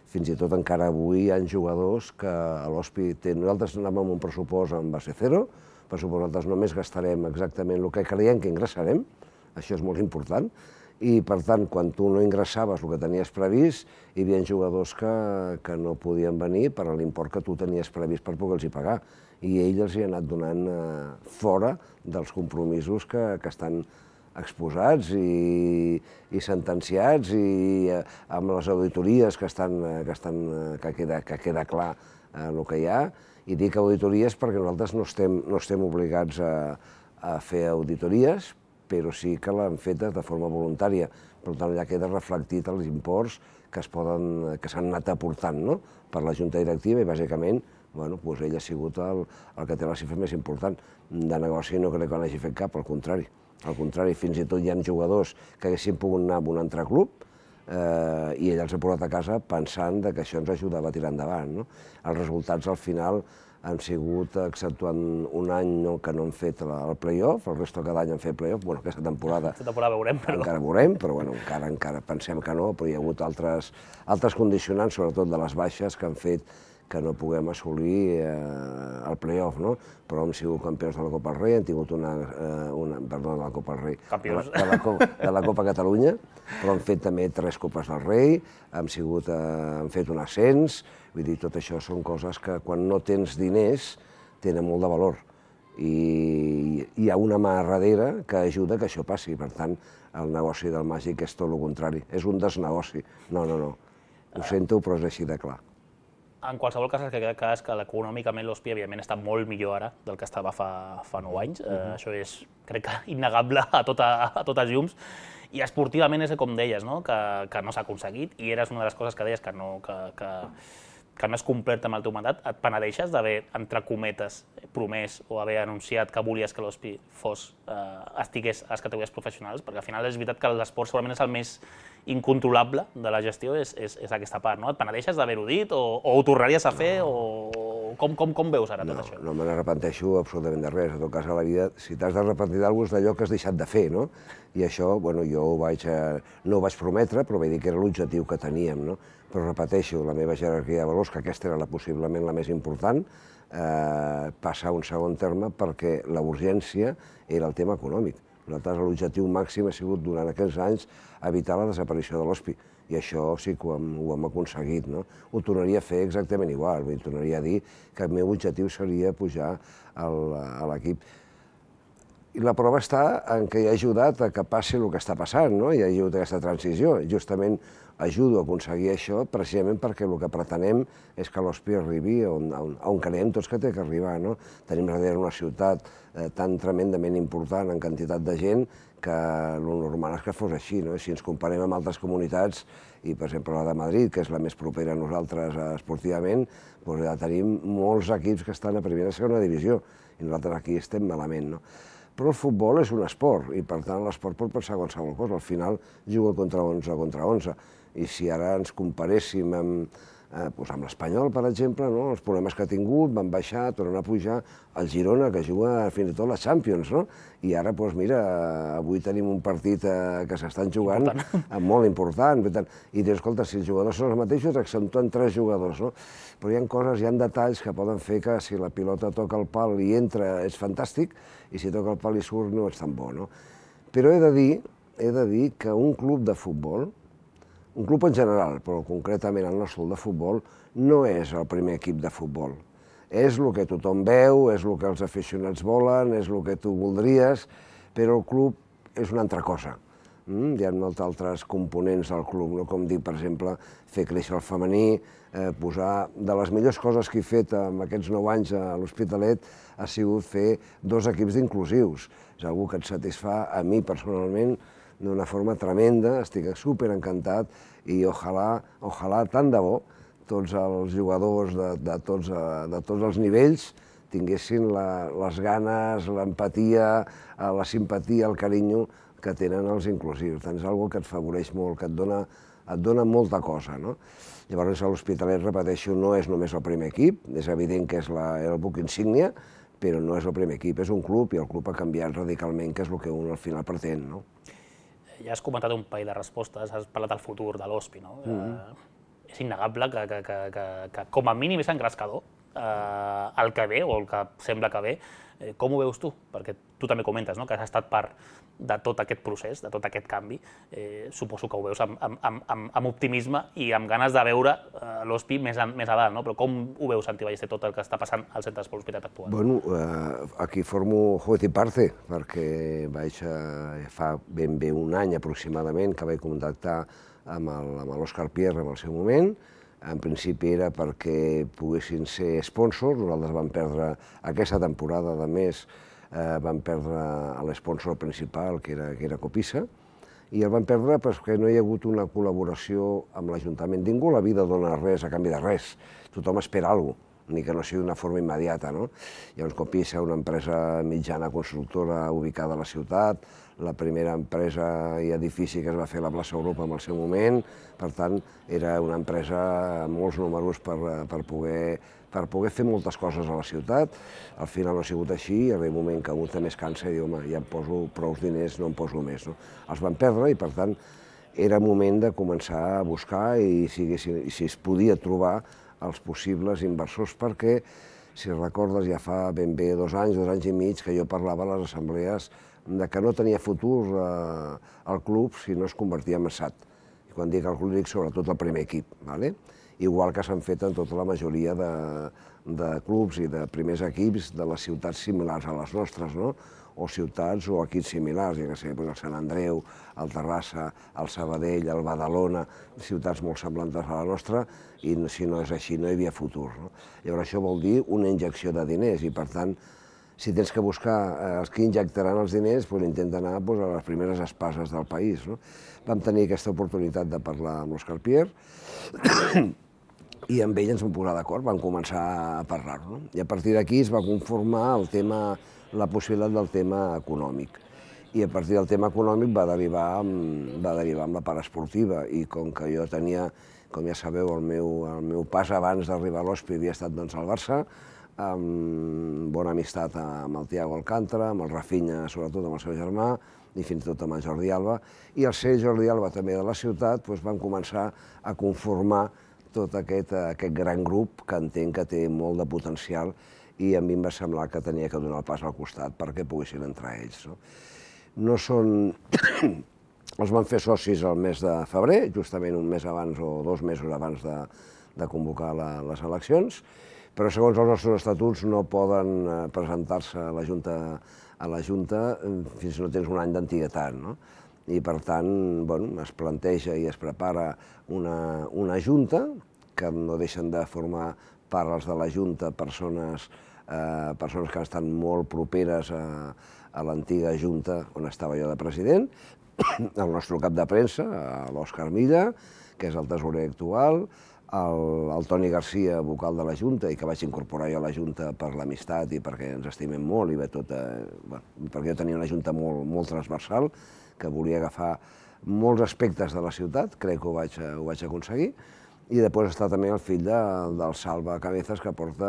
Fins i tot encara avui hi ha jugadors que a l'Hospi... Nosaltres anàvem amb un pressupost en base zero, nosaltres només gastarem exactament el que creiem que ingressarem, això és molt important, i per tant, quan tu no ingressaves el que tenies previst, hi havia jugadors que no podien venir per l'import que tu tenies previst per poder-los pagar, i ell els hi ha anat donant fora dels compromisos que estan exposats i sentenciats i amb les auditories que queda clar el que hi ha. I dic auditories perquè nosaltres no estem obligats a fer auditories, però sí que l'han fetes de forma voluntària. Per tant, allà queda reflectit els imports que s'han anat aportant per la Junta Directiva i, bàsicament, ell ha sigut el que té la xifra més important. De negoci no crec que n'hagi fet cap, al contrari. Al contrari, fins i tot hi ha jugadors que haguessin pogut anar a un altre club i ell els ha portat a casa pensant que això ens ajudava a tirar endavant. Els resultats, al final, han sigut, exceptuant un any que no han fet el play-off, el resto cada any han fet play-off, aquesta temporada veurem, però... Encara veurem, però encara pensem que no, però hi ha hagut altres condicionants, sobretot de les baixes, que han fet que no puguem assolir el play-off, però hem sigut campions de la Copa del Rei, hem tingut perdó, de la Copa del Rei, de la Copa Catalunya, però hem fet també 3 Copes del Rei, hem fet un ascens, vull dir, tot això són coses que quan no tens diners tenen molt de valor i hi ha una mà darrere que ajuda que això passi, per tant, el negoci del màgic és tot el contrari, és un desnegoci, no, ho sento, però és així de clar. En qualsevol cas, el que queda clar és que econòmicament l'Hospi, evidentment, està molt millor ara del que estava fa 9 anys. Això és, crec que, innegable a totes llums. I esportivament és com deies, que no s'ha aconseguit, i eres una de les coses que deies que no has complert amb el teu mandat. Et penedeixes d'haver, entre cometes, promès o haver anunciat que volies que l'Hospi estigués a les categories professionals? Perquè al final és veritat que l'esport segurament és el més incontrolable de la gestió, és aquesta part, no? Et penedeixes d'haver-ho dit o ho tornaries a fer o com veus ara tot això? No me n'arrepenteixo absolutament de res. En tot cas, a la vida, si t'has d'arrepentir d'alguna cosa és d'allò que has deixat de fer, no? I això, jo no ho vaig prometre, però vaig dir que era l'objectiu que teníem, no? Però repeteixo, la meva jerarquia de valors, que aquesta era possiblement la més important, passa a un segon terme perquè la urgència era el tema econòmic. Nosaltres l'objectiu màxim ha sigut durant aquests anys evitar la desaparició de l'Hospi i això sí que ho hem aconseguit. Ho tornaria a fer exactament igual, tornaria a dir que el meu objectiu seria pujar a l'equip. I la prova està en que hi ha ajudat a que passi el que està passant, hi ha ajudat aquesta transició. Justament ajudo a aconseguir això precisament perquè el que pretenem és que l'Hospi arribi on creiem tots que té que arribar. Tenim darrere una ciutat tan tremendament important en quantitat de gent que el normal és que fos així. Si ens comparem amb altres comunitats, i per exemple la de Madrid, que és la més propera a nosaltres esportivament, ja tenim molts equips que estan a primera i segona divisió i nosaltres aquí estem malament. Però el futbol és un esport i per tant l'esport pot passar qualsevol cosa. Al final juga contra 11 i si ara ens comparéssim amb l'Espanyol, per exemple, els problemes que ha tingut, van baixar, tornen a pujar, el Girona, que juga fins i tot la Champions, i ara, mira, avui tenim un partit que s'estan jugant molt important, i dius, escolta, si els jugadors són els mateixos, exceptuant 3 jugadors, però hi ha coses, hi ha detalls que poden fer que si la pilota toca el pal i entra és fantàstic, i si toca el pal i surt no és tan bo. Però he de dir que un club de futbol, un club en general, però concretament el nostre club de futbol, no és el primer equip de futbol. És el que tothom veu, és el que els aficionats volen, és el que tu voldries, però el club és una altra cosa. Hi ha molts altres components del club, com dir, per exemple, fer créixer el femení, posar... De les millors coses que he fet en aquests 9 anys a l'Hospitalet ha sigut fer 2 equips inclusius. És una cosa que et satisfà a mi personalment d'una forma tremenda, estic superencantat i ojalà tant de bo tots els jugadors de tots els nivells tinguessin les ganes, l'empatia, la simpatia, el carinyo que tenen els inclusius. És una cosa que et favoreix molt, que et dona molta cosa, no? Llavors, l'Hospitalet, repeteixo, no és només el primer equip, és evident que és el buc insígnia, però no és el primer equip, és un club i el club ha canviat radicalment, que és el que un al final pretén, no? Ja has comentat un parell de respostes, has parlat del futur de l'Hospi, no? És innegable que com a mínim és engrescador el que ve, o el que sembla que ve. Com ho veus tu? Perquè tu també comentes que has estat part de tot aquest procés, de tot aquest canvi. Suposo que ho veus amb optimisme i amb ganes de veure l'Hospi més a dalt, no? Però com ho veus, Santi Ballester, tot el que està passant al Centre d'Esport Hospitalet actual? Bueno, aquí formo juez i parte, perquè fa ben bé un any aproximadament que vaig contactar amb l'Òscar Pierre en el seu moment. En principi era perquè poguessin ser sponsors. Nosaltres vam perdre aquesta temporada, a més, vam perdre l'esponsor principal, que era Copisa, i el vam perdre perquè no hi ha hagut una col·laboració amb l'Ajuntament. Ningú a la vida dona res a canvi de res. Tothom espera alguna cosa, ni que no sigui d'una forma immediata, no? Llavors, Copisa, una empresa mitjana constructora ubicada a la ciutat, la primera empresa i edifici que es va fer a la plaça Europa en el seu moment, per tant, era una empresa amb molts números per poder fer moltes coses a la ciutat. Al final no ha sigut així, arriba un moment que un també es cansa i diu, home, ja em poso prou diners, no em poso més, no? Els van perdre i, per tant, era moment de començar a buscar i si es podia trobar els possibles inversors, perquè, si recordes, ja fa ben bé 2 anys i mig, que jo parlava a les assemblees de que no tenia futur el club si no es convertia en SAT. I quan dic el club, dic sobretot el primer equip, igual que s'han fet en tota la majoria de clubs i de primers equips de les ciutats similars a les nostres, no? O ciutats o equips similars, ja que sé, el Sant Andreu, el Terrassa, el Sabadell, el Badalona, ciutats molt semblants a la nostra, i si no és així no hi havia futur, no? Llavors això vol dir una injecció de diners i, per tant, si tens que buscar els que injectaran els diners, intenta anar a les primeres espases del país, no? Vam tenir aquesta oportunitat de parlar amb l'Òscar Pierre i amb ell ens vam posar d'acord, vam començar a parlar-ho, i a partir d'aquí es va conformar la possibilitat del tema econòmic. I a partir del tema econòmic va derivar amb la part esportiva, i com que jo tenia, com ja sabeu, el meu pas abans d'arribar a l'Hospi havia estat al Barça, amb bona amistat amb el Thiago Alcántara, amb el Rafinha, sobretot amb el seu germà, i fins i tot amb el Jordi Alba, i al ser Jordi Alba també de la ciutat, vam començar a conformar tot aquest gran grup que entenc que té molt de potencial, i a mi em va semblar que tenia que donar el pas al costat perquè poguessin entrar ells. No són... Els van fer socis el mes de febrer, justament un mes abans o 2 mesos abans de convocar les eleccions, però segons els nostres estatuts no poden presentar-se a la Junta fins que no tens un any d'antiguitat, no? I per tant es planteja i es prepara una Junta, que no deixen de formar part els de la Junta persones que estan molt properes a l'antiga Junta on estava jo de president, el nostre cap de premsa, l'Òscar Milla, que és el tesorer actual, el Toni Garcia, vocal de la Junta, i que vaig incorporar jo a la Junta per l'amistat i perquè ens estimem molt, i perquè jo tenia una Junta molt transversal, que volia agafar molts aspectes de la ciutat, crec que ho vaig aconseguir, i després està també el fill del Salva Cabezas, que porta,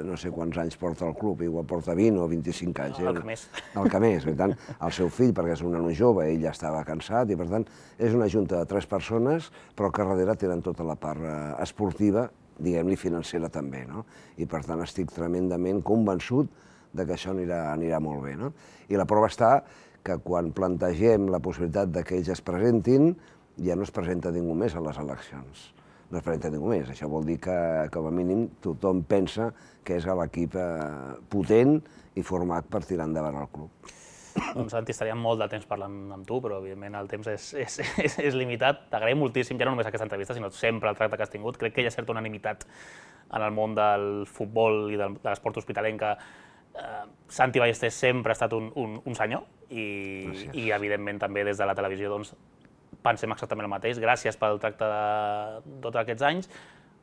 no sé quants anys porta el club, igual porta 20 o 25 anys. El que més. El que més, per tant, el seu fill, perquè és un nano jove, ell ja estava cansat, i per tant, és una junta de 3 persones, però que darrere tenen tota la part esportiva, diguem-li financera també, no? I per tant estic tremendament convençut que això anirà molt bé, no? I la prova està que quan plantegem la possibilitat que ells es presentin, ja no es presenta ningú més a les eleccions. No es presenta ningú més. Això vol dir que, com a mínim, tothom pensa que és l'equip potent i format per tirar endavant el club. Doncs, Santi, estaríem molt de temps parlant amb tu, però, evidentment, el temps és limitat. T'agraïm moltíssim, ja no només aquesta entrevista, sinó sempre el tracte que has tingut. Crec que hi ha certa unanimitat en el món del futbol i de l'esport hospitalenc que Santi Ballester sempre ha estat un senyor i, evidentment, també des de la televisió, doncs, pensem exactament el mateix. Gràcies pel tracte de tots aquests anys.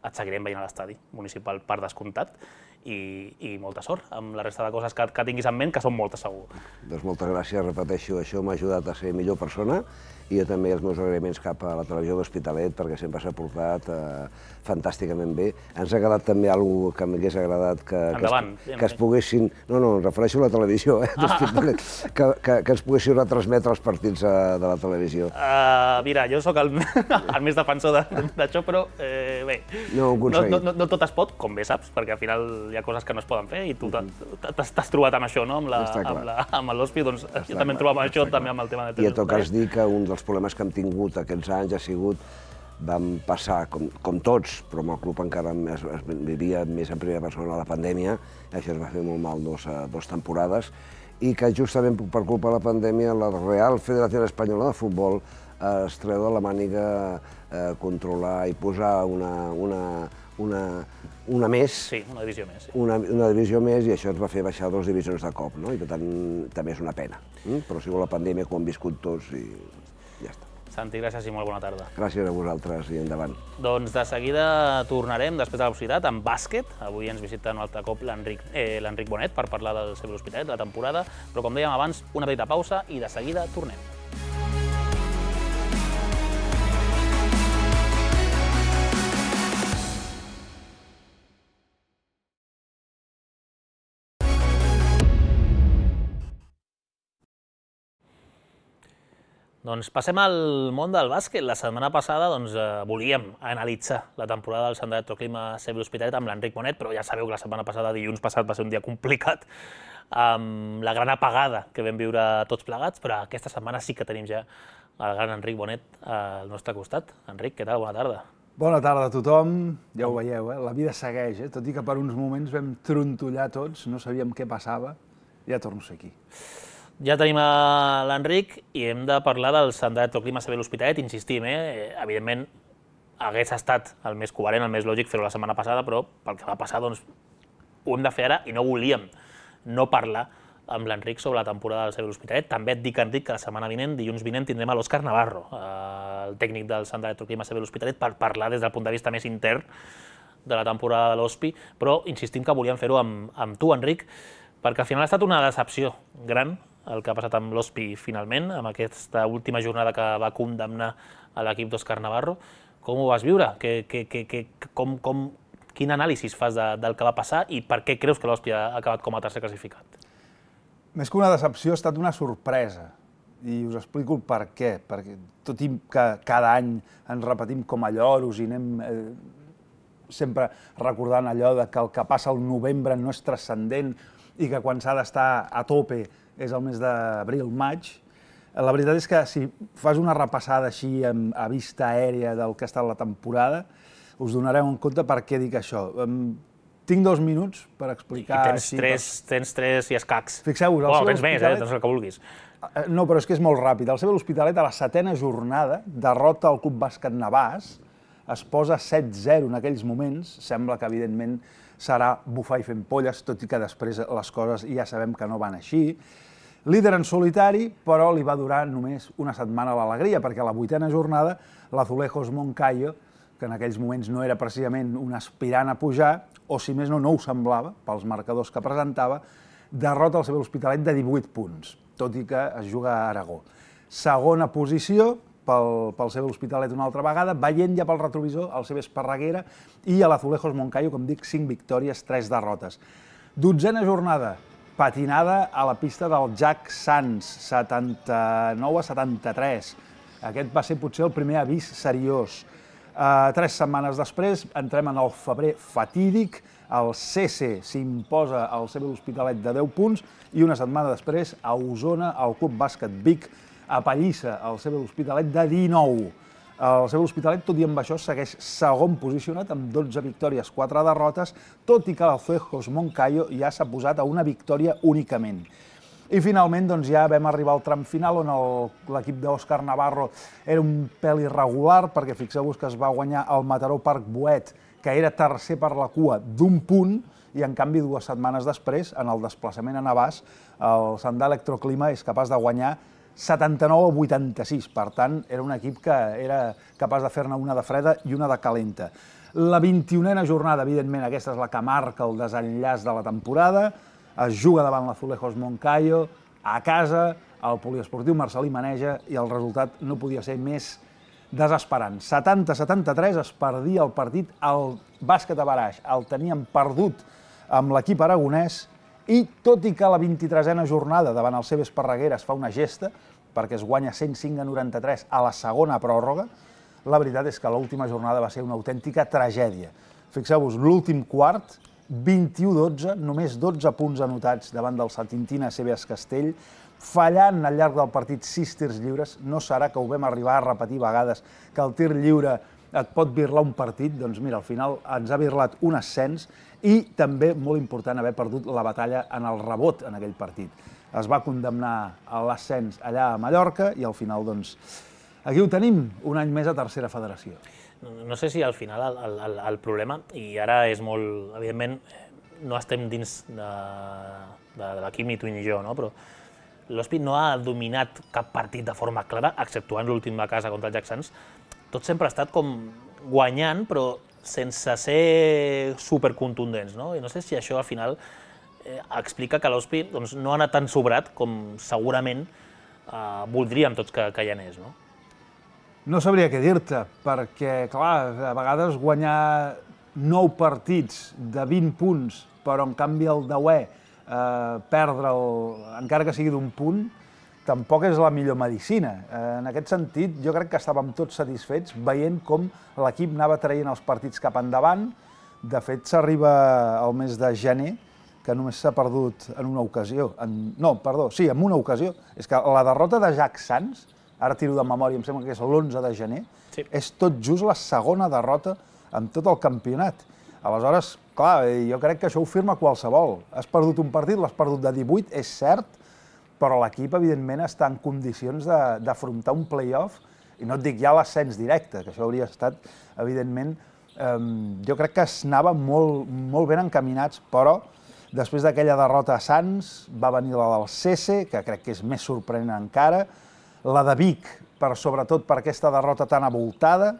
Et seguirem veient a l'estadi municipal per descomptat. i molta sort amb la resta de coses que tinguis en ment, que són moltes segur. Doncs moltes gràcies, repeteixo, això m'ha ajudat a ser millor persona i jo també els meus agraïments cap a la televisió de l'Hospitalet perquè sempre s'ha portat fantàsticament bé. Ens ha quedat també alguna que m'hagués agradat que es poguessin... No, em refereixo a la televisió de l'Hospitalet, que ens poguessin retransmetre els partits de la televisió. Mira, jo sóc el més defensor d'això, però bé, no tot es pot, com bé saps, perquè al final hi ha coses que no es poden fer i tu t'has trobat amb això, no? Amb l'Hospi, doncs jo també em trobo amb això, també amb el tema de televisió. I a tot cas dir que un dels problemes que hem tingut aquests anys ha sigut, vam passar, com tots, però amb el club encara es vivia més en primera persona la pandèmia, i això es va fer molt mal dues temporades, i que justament per culpa de la pandèmia la Real Federació Espanyola de Futbol es treu de la màniga controlar i posar una més. Sí, una divisió més. Una divisió més, i això ens va fer baixar 2 divisions de cop, no? I per tant també és una pena. Però ha sigut la pandèmia que ho hem viscut tots i ja està. Santi, gràcies i molt bona tarda. Gràcies a vosaltres i endavant. Doncs de seguida tornarem, després de la publicitat, amb bàsquet. Avui ens visita un altre cop l'Enric Bonet per parlar del CB L'Hospitalet, de la temporada, però com dèiem abans, una petita pausa i de seguida tornem. Doncs passem al món del bàsquet. La setmana passada volíem analitzar la temporada del Sant Electroclima CB L'Hospitalet amb l'Enric Bonet, però ja sabeu que la setmana passada, dilluns passat, va ser un dia complicat, amb la gran apagada que vam viure tots plegats, però aquesta setmana sí que tenim ja el gran Enric Bonet al nostre costat. Enric, què tal? Bona tarda. Bona tarda a tothom. Ja ho veieu, la vida segueix, tot i que per uns moments vam trontollar tots, no sabíem què passava, ja torno a ser aquí. Ja tenim l'Enric i hem de parlar del Sant Electroclima CB L'Hospitalet. Insistim, evidentment hagués estat el més coherent, el més lògic fer-ho la setmana passada, però pel que va passar doncs ho hem de fer ara i no volíem no parlar amb l'Enric sobre la temporada del CB L'Hospitalet. També et dic, Enric, que la setmana vinent, dilluns vinent, tindrem a l'Òscar Navarro, el tècnic del Sant Electroclima CB L'Hospitalet, per parlar des del punt de vista més intern de la temporada de l'Hospi, però insistim que volíem fer-ho amb tu, Enric, perquè al final ha estat una decepció gran el que ha passat amb l'Hospi finalment, amb aquesta última jornada que va condemnar a l'equip d'Òscar Navarro. Com ho vas viure? Quin anàlisi fas del que va passar i per què creus que l'Hospi ha acabat com a tercer classificat? Més que una decepció, ha estat una sorpresa. I us explico el per què. Perquè tot i que cada any ens repetim com a lloros i anem sempre recordant allò que el que passa al novembre no és transcendent i que quan s'ha d'estar a tope és el mes d'abril-maig. La veritat és que si fas una repassada així a vista aèria del que ha estat la temporada, us donareu en compte per què dic això. Tinc 2 minuts per explicar... I tens 3 i escacs. Fixeu-vos, el CB L'Hospitalet... Tens més, tens el que vulguis. No, però és que és molt ràpid. El CB L'Hospitalet, a la 7a jornada, derrota el Club Bàsquet Navàs, es posa 7-0 en aquells moments. Sembla que, evidentment, serà bufar i fent polles, tot i que després les coses ja sabem que no van així. Líder en solitari, però li va durar només una setmana l'alegria, perquè a la 8a jornada l'Azulejos Moncayo, que en aquells moments no era precisament un aspirant a pujar, o si més no, no ho semblava, pels marcadors que presentava, derrota el CB L'Hospitalet de 18 punts, tot i que es juga a Aragó. Segona posició pel CB L'Hospitalet una altra vegada, veient ja pel retrovisor el CB Esparreguera i a l'Azulejos Moncayo, com dic, 5 victòries, 3 derrotes. 12a jornada, patinada a la pista del Jack Sands, 79-73. Aquest va ser potser el primer avís seriós. 3 setmanes després entrem en el febrer fatídic, el CC s'imposa al CB L'Hospitalet de 10 punts i una setmana després a Osona el Club Bàsquet Vic apallissa el CB L'Hospitalet de 19. El CB L'Hospitalet, tot i amb això, segueix segon posicionat amb 12 victòries, 4 derrotes, tot i que l'Azulejos Moncayo ja s'ha posat a una victòria únicament. I finalment ja vam arribar al tram final on l'equip d'Òscar Navarro era un pèl irregular, perquè fixeu-vos que es va guanyar el Mataró Parc Boet, que era tercer per la cua d'1 punt, i en canvi 2 setmanes després, en el desplaçament a Navàs, el Sant Electroclima és capaç de guanyar 79-86, per tant, era un equip que era capaç de fer-ne una de freda i una de calenta. La 21a jornada, evidentment, aquesta és la que marca el desenllaç de la temporada. Es juga davant l'Azulejos Moncayo, a casa, el poliesportiu Marcelí Maneja, i el resultat no podia ser més desesperant. 70-73 es perdia el partit al bàsquet a Baraix. El teníem perdut amb l'equip aragonès i, tot i que la 23a jornada davant el CB Esparreguera es fa una gesta, perquè es guanya 105-93 a la segona pròrroga, la veritat és que l'última jornada va ser una autèntica tragèdia. Fixeu-vos, l'últim quart, 21-12, només 12 punts anotats davant del Satintina CBS Castell, fallant al llarg del partit 6 tirs lliures. No serà que ho vam arribar a repetir vegades, que el tir lliure et pot birlar un partit, doncs mira, al final ens ha birlat un ascens i també, molt important, haver perdut la batalla en el rebot en aquell partit. Es va condemnar a l'ascens allà a Mallorca i al final, doncs, aquí ho tenim, un any més a tercera federació. No sé si al final el problema, i ara és molt, evidentment, no estem dins de l'equip ni tu ni jo, no? Però l'Hospi no ha dominat cap partit de forma clara, exceptuant l'últim de casa contra el Jacksans. Tot sempre ha estat com guanyant, però sense ser supercontundents, no? I no sé si això al final explica que l'Hospi no ha anat tan sobrat com segurament voldríem tots que hi anés, no? No sabria què dir-te, perquè, clar, a vegades guanyar 9 partits de 20 punts, però en canvi el 10è perdre'l, encara que sigui d'un punt, tampoc és la millor medicina. En aquest sentit, jo crec que estàvem tots satisfets veient com l'equip anava traient els partits cap endavant. De fet, s'arriba al mes de gener, que només s'ha perdut en una ocasió. No, perdó, sí, en una ocasió. És que la derrota de Jack Sands, ara tiro de memòria, em sembla que és l'11 de gener, sí, és tot just la segona derrota en tot el campionat. Aleshores, clar, jo crec que això ho firma qualsevol. Has perdut un partit, l'has perdut de 18, és cert, però l'equip, evidentment, està en condicions d'afrontar un play-off, i no et dic ja l'ascens directe, que això hauria estat, evidentment, jo crec que es anava molt ben encaminats, però després d'aquella derrota a Sants va venir la del Cese, que crec que és més sorprenent encara, la de Vic, sobretot per aquesta derrota tan avoltada,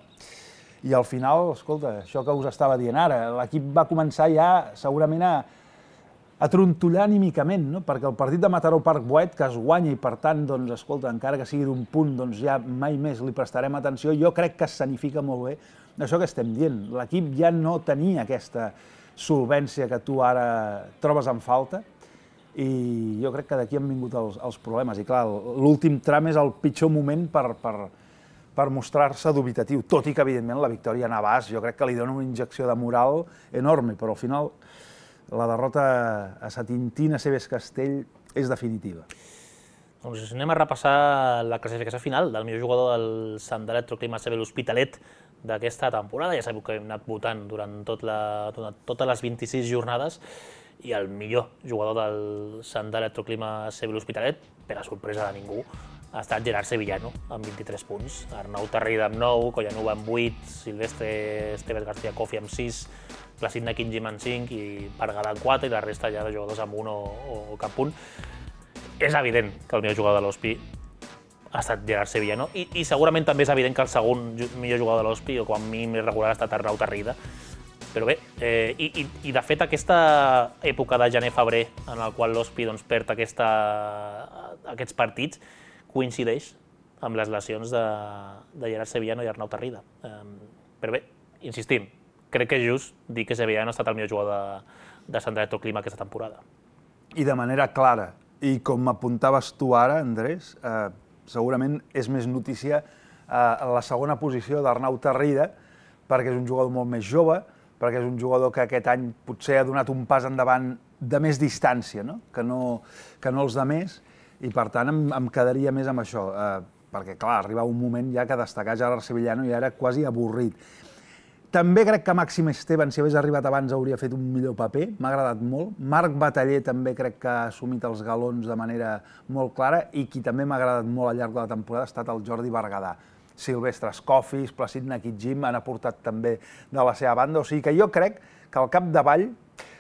i al final, escolta, això que us estava dient ara, l'equip va començar ja segurament a trontollar anímicament, no? Perquè el partit de Mataró Park Boet, que es guanya i per tant, doncs, escolta, encara que sigui d'un punt, doncs ja mai més li prestarem atenció, jo crec que escenifica molt bé això que estem dient. L'equip ja no tenia aquesta solvència que tu ara trobes en falta, i jo crec que d'aquí han vingut els problemes. I clar, l'últim tram és el pitjor moment per mostrar-se dubitatiu, tot i que, evidentment, la victòria a Navàs jo crec que li dona una injecció de moral enorme, però al final la derrota a Satintina CBS Castell és definitiva. Doncs anem a repassar la classificació final del millor jugador del Sant Electroclima CB l'Hospitalet d'aquesta temporada. Ja sabeu que hem anat votant durant totes les 26 jornades, i el millor jugador del Sant Electroclima CB l'Hospitalet, per a sorpresa de ningú, ha estat Gerard Sevillano, amb 23 punts. Arnau Tarrida amb 9, Collanuva amb 8, Silvestre Esteves García Cofi amb 6, Placid Quinjim amb 5 i Pargalà amb 4, i la resta ja de jugadors amb 1 o cap punt. És evident que el millor jugador de l'Hospi ha estat Gerard Sevillano, i segurament també és evident que el segon millor jugador de l'Hospi, o com a mínim més regular, ha estat Arnau Tarrida. Però bé, i de fet aquesta època de gener-febrer en el qual l'Hospi perd aquests partits coincideix amb les lesions de Gerard Sevillano i Arnau Tarrida. Però bé, insistim, crec que és just dir que Sevillano ha estat el millor jugador de Sant Electroclima aquesta temporada. I de manera clara, i com apuntaves tu ara, Andrés, segurament és més notícia la segona posició d'Arnau Tarrida, perquè és un jugador molt més jove, perquè és un jugador que aquest any potser ha donat un pas endavant de més distància, no? Que no els de més, i per tant em quedaria més amb això, perquè clar, arriba un moment ja que destacar Gerard Sevillano ja era quasi avorrit. També crec que Màxim Esteban, si hagués arribat abans, hauria fet un millor paper, m'ha agradat molt. Marc Bataller també crec que ha assumit els galons de manera molt clara, i qui també m'ha agradat molt al llarg de la temporada ha estat el Jordi Berguedà. Silvestre Escofis, Placid Quinjim han aportat també de la seva banda, o sigui que jo crec que al capdavall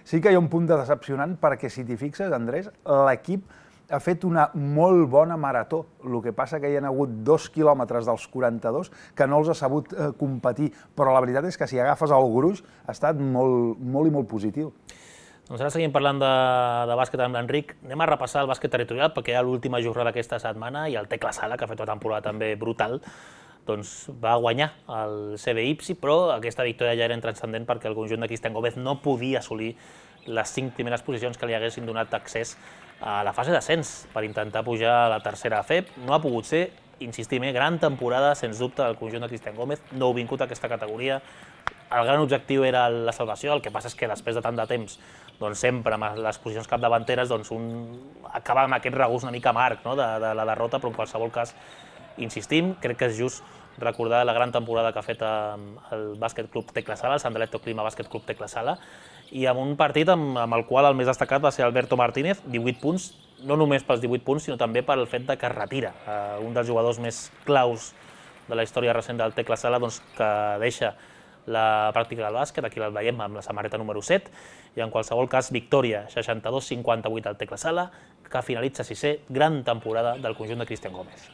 sí que hi ha un punt de decepcionant, perquè si t'hi fixes, Andrés, l'equip ha fet una molt bona marató. El que passa que hi ha hagut 2 quilòmetres dels 42 que no els ha sabut competir, però la veritat és que si agafes el gruix ha estat molt i molt positiu. Doncs ara seguim parlant de bàsquet amb l'Enric. Anem a repassar el bàsquet territorial perquè hi ha l'última jornada d'aquesta setmana i el Tecla Sala, que ha fet una temporada també brutal, doncs va guanyar el CB Ipsi, però aquesta victòria ja era intranscendent perquè el conjunt de Cristian Gómez no podia assolir les 5 primeres posicions que li haguessin donat accés a la fase d'ascens per intentar pujar a la tercera FEB. No ha pogut ser, insistim, gran temporada, sens dubte, del conjunt de Cristian Gómez, nouvingut a aquesta categoria. El gran objectiu era la salvació, el que passa és que després de tant de temps, doncs sempre amb les posicions capdavanteres, doncs un acaba amb aquest regust una mica amarg de la derrota, però en qualsevol cas, insistim, crec que és just recordar la gran temporada que ha fet el Bàsquet Club Tecla Sala, el Sandaletto Clima Bàsquet Club Tecla Sala, i amb un partit amb el qual el més destacat va ser Alberto Martínez, 18 punts, no només pels 18 punts, sinó també pel fet que es retira un dels jugadors més claus de la història recent del Tecla Sala, doncs, que deixa la pràctica del bàsquet, aquí el veiem amb la samarreta número 7, i en qualsevol cas, victòria 62-58 al Tecla Sala, que finalitza 6è, gran temporada del conjunt de Cristian Gómez.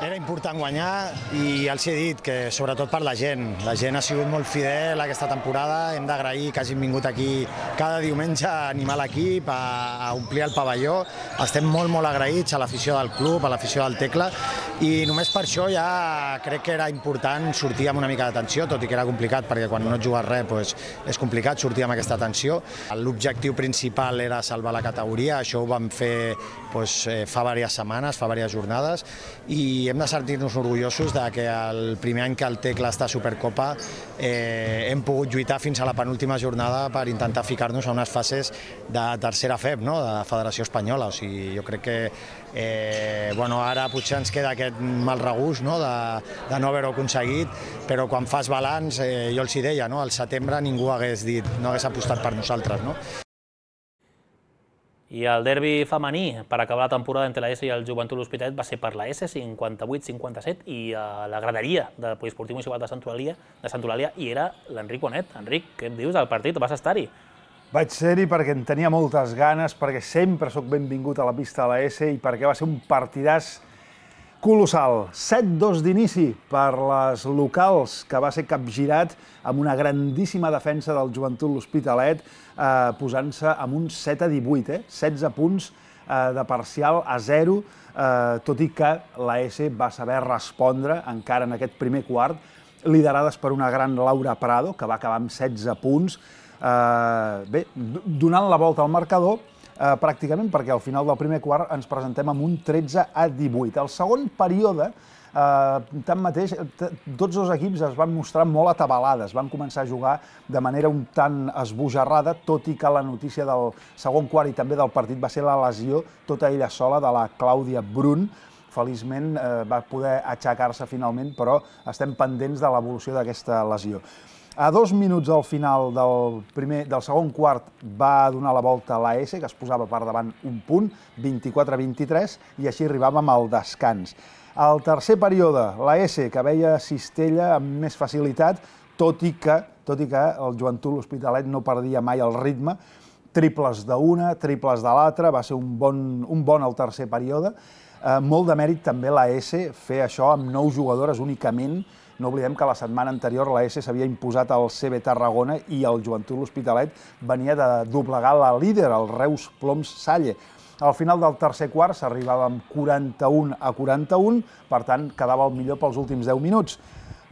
Era important guanyar i els he dit que sobretot per la gent. La gent ha sigut molt fidel aquesta temporada, hem d'agrair que hagin vingut aquí cada diumenge a animar l'equip, a omplir el pavelló. Estem molt agraïts a l'afició del club, a l'afició del Tecla, i només per això ja crec que era important sortir amb una mica de tensió, tot i que era complicat perquè quan no et jugues res és complicat sortir amb aquesta tensió. L'objectiu principal era salvar la categoria, això ho vam fer fa diverses setmanes, fa diverses jornades, i hem de sentir-nos orgullosos que el primer any que el Tecla està a Supercopa hem pogut lluitar fins a la penúltima jornada per intentar ficar-nos a unes fases de tercera FEB, de Federació Espanyola. O sigui, jo crec que ara potser ens queda aquest mal regust de no haver-ho aconseguit, però quan fas balanç, jo els hi deia, al setembre ningú no hagués apostat per nosaltres. I el derbi femení per acabar la temporada entre la S i el Joventut L'Hospitalet va ser per la S, 58-57, i a la graderia del Poliesportiu Municipal de Sant Eulàlia hi era l'Enric Bonet. Enric, què em dius del partit? Vas estar-hi? Vaig ser-hi perquè en tenia moltes ganes, perquè sempre sóc benvingut a la pista de la S i perquè va ser un partidàs colossal. 7-2 d'inici per les locals, que va ser capgirat amb una grandíssima defensa del Joventut L'Hospitalet, posant-se amb un 7-18, 16 punts de parcial a 0, tot i que la S va saber respondre encara en aquest primer quart, liderades per una gran Laura Prado, que va acabar amb 16 punts, donant la volta al marcador, pràcticament perquè al final del primer quart ens presentem amb un 13-18. El segon període, tanmateix, tots dos equips es van mostrar molt atabalades, van començar a jugar de manera un tant esbojarrada, tot i que la notícia del segon quart i també del partit va ser la lesió, tota ella sola, de la Clàudia Brun. Feliçment va poder aixecar-se finalment, però estem pendents de l'evolució d'aquesta lesió. A 2 minuts al final del segon quart va donar la volta a l'AS, que es posava per davant un punt, 24-23, i així arribàvem al descans. Al tercer període, l'AS, que veia Cistella amb més facilitat, tot i que el Joventut L'Hospitalet no perdia mai el ritme, triples d'una, triples de l'altra, va ser un bon al tercer període. Molt de mèrit també l'AS fer això amb 9 jugadores únicament. No oblidem que la setmana anterior l'AS s'havia imposat al CB Tarragona i el Joventut L'Hospitalet venia de doblegar la líder, el Reus Ploms Salle. Al final del tercer quart s'arribava amb 41-41, per tant quedava el millor pels últims 10 minuts.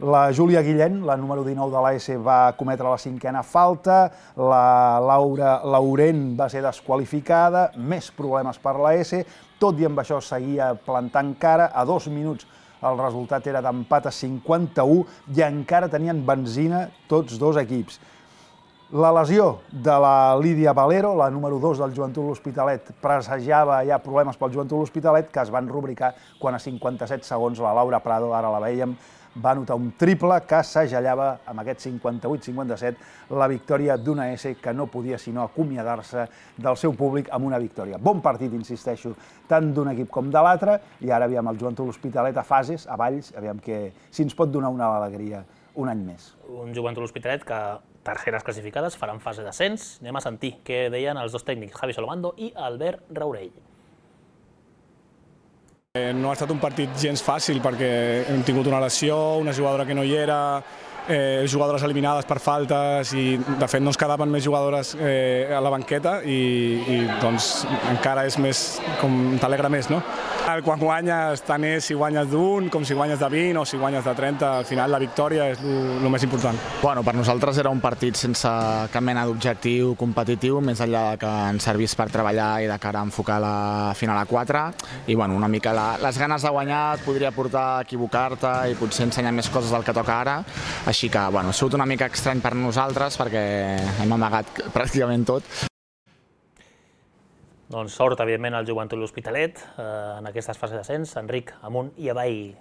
La Júlia Guillén, la número 19 de l'AS, va cometre la 5a falta, la Laura Laurent va ser desqualificada, més problemes per l'AS, tot i amb això seguia plantant cara. A 2 minuts el resultat era d'empat a 51 i encara tenien benzina tots dos equips. La lesió de la Lídia Valero, la número 2 del Joventut L'Hospitalet, pressagiava ja problemes pel Joventut L'Hospitalet, que es van rubricar quan a 57 segons la Laura Prado, ara la veiem, va anotar un triple que segellava amb aquest 58-57 la victòria d'una S que no podia sinó acomiadar-se del seu públic amb una victòria. Bon partit, insisteixo, tant d'un equip com de l'altre, i ara aviam el Joventut L'Hospitalet a fases, a Valls, aviam si ens pot donar una alegria un any més. Un Joventut L'Hospitalet que terceres classificades, faran fase d'ascens. Anem a sentir què deien els dos tècnics, Javi Solomando i Albert Raurell. No ha estat un partit gens fàcil perquè hem tingut una lesió, una jugadora que no hi era, jugadores eliminades per faltes i de fet no ens quedaven més jugadores a la banqueta i doncs encara és més, com t'alegra més, no? Quan guanyes, tant és si guanyes d'1 com si guanyes de 20 o si guanyes de 30, al final la victòria és el més important. Bueno, per nosaltres era un partit sense cap mena d'objectiu competitiu, més enllà que ens servís per treballar i de cara a enfocar la final a 4 i bueno, una mica les ganes de guanyar et podria portar a equivocar-te i potser ensenyar més coses del que toca ara, així que bueno, ha sigut una mica estrany per nosaltres perquè hem amagat pràcticament tot. Doncs sort, evidentment, al Joventut L'Hospitalet en aquestes fases d'ascens. Enric, amunt i avall.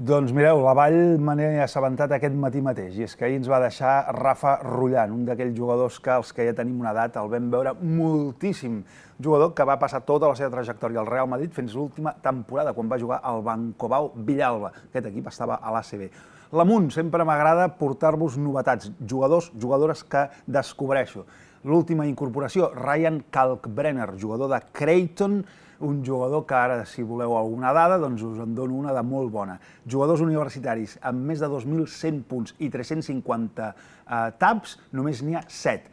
Doncs mireu, la Vall me n'he assabentat aquest matí mateix, i és que ahir ens va deixar Rafa Rullan, un d'aquells jugadors que els que ja tenim una edat el vam veure moltíssim. Jugador que va passar tota la seva trajectòria al Real Madrid fins l'última temporada, quan va jugar al Bancobao Villalba. Aquest equip estava a l'ACB. L'Amunt, sempre m'agrada portar-vos novetats, jugadors, jugadores que descobreixo. L'última incorporació, Ryan Kalkbrenner, jugador de Creighton, un jugador que ara, si voleu alguna dada, doncs us en dono una de molt bona. Jugadors universitaris amb més de 2.100 punts i 350 taps, només n'hi ha 7.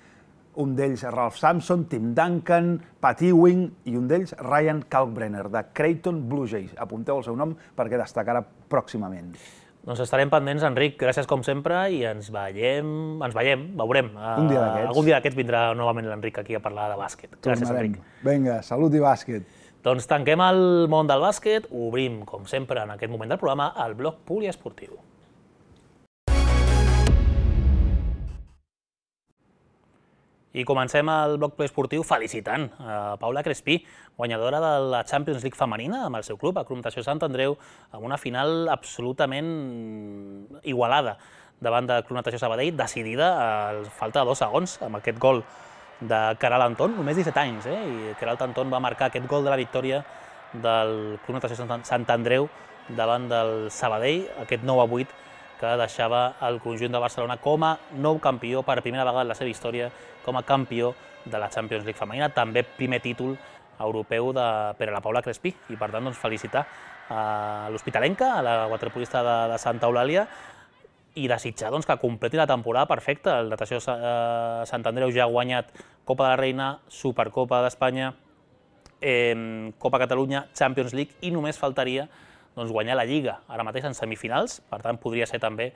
Un d'ells Ralph Sampson, Tim Duncan, Pat Ewing i un d'ells Ryan Kalkbrenner, de Creighton Blue Jays. Apunteu el seu nom perquè destacarà pròximament. Doncs estarem pendents, Enric, gràcies com sempre, i ens veiem, veurem. Un dia d'aquests. Algun dia d'aquests vindrà novament l'Enric aquí a parlar de bàsquet. Gràcies, Enric. Vinga, salut i bàsquet. Doncs tanquem el món del bàsquet, obrim, com sempre, en aquest moment del programa, el bloc poliesportiu. I comencem el bloc poliesportiu felicitant a Paula Crespí, guanyadora de la Champions League femenina amb el seu club, el Club Natació Sant Andreu, amb una final absolutament igualada davant del Club Natació Sabadell, decidida a falta de 2 segons amb aquest gol de Queralt Anton, només 17 anys, i Queralt Anton va marcar aquest gol de la victòria del Club Natació Sant Andreu davant del Sabadell, aquest 9-8 que deixava el conjunt de Barcelona com a nou campió per primera vegada en la seva història, com a campió de la Champions League femenina, també primer títol europeu per a la Paula Crespí, i per tant felicitar a l'hospitalenca, a la waterpolista de Santa Eulàlia, i desitjar que completi la temporada perfecta. El Natació Sant Andreu ja ha guanyat Copa de la Reina, Supercopa d'Espanya, Copa Catalunya, Champions League, i només faltaria guanyar la Lliga, ara mateix en semifinals. Per tant, podria ser també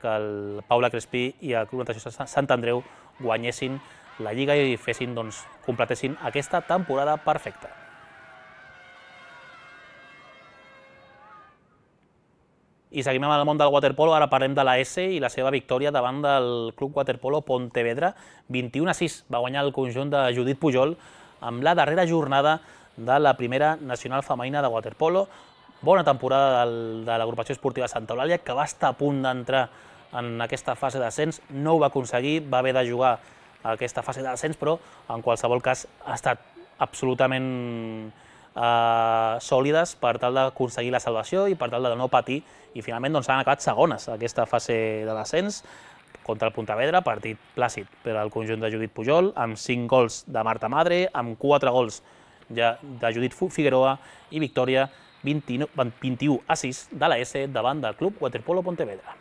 que el Paula Crespí i el Club Natació Sant Andreu guanyessin la Lliga i completessin aquesta temporada perfecta. I seguim amb el món del waterpolo, ara parlem de la S i la seva victòria davant del Club Waterpolo Pontevedra, 21-6. Va guanyar el conjunt de Judit Pujol amb la darrera jornada de la primera nacional femenina de waterpolo. Bona temporada de l'agrupació esportiva Santa Eulàlia, que va estar a punt d'entrar en aquesta fase d'ascens, no ho va aconseguir, va haver de jugar a aquesta fase d'ascens, però en qualsevol cas ha estat absolutament sòlides per tal d'aconseguir la salvació i per tal de no patir, i finalment han acabat segones a aquesta fase de l'ascens contra el Pontevedra, partit plàcid per al conjunt de Judit Pujol, amb 5 gols de Marta Madre, amb 4 gols ja de Judit Figueroa i victòria 21-6 de la S davant del Club Waterpolo Pontevedra.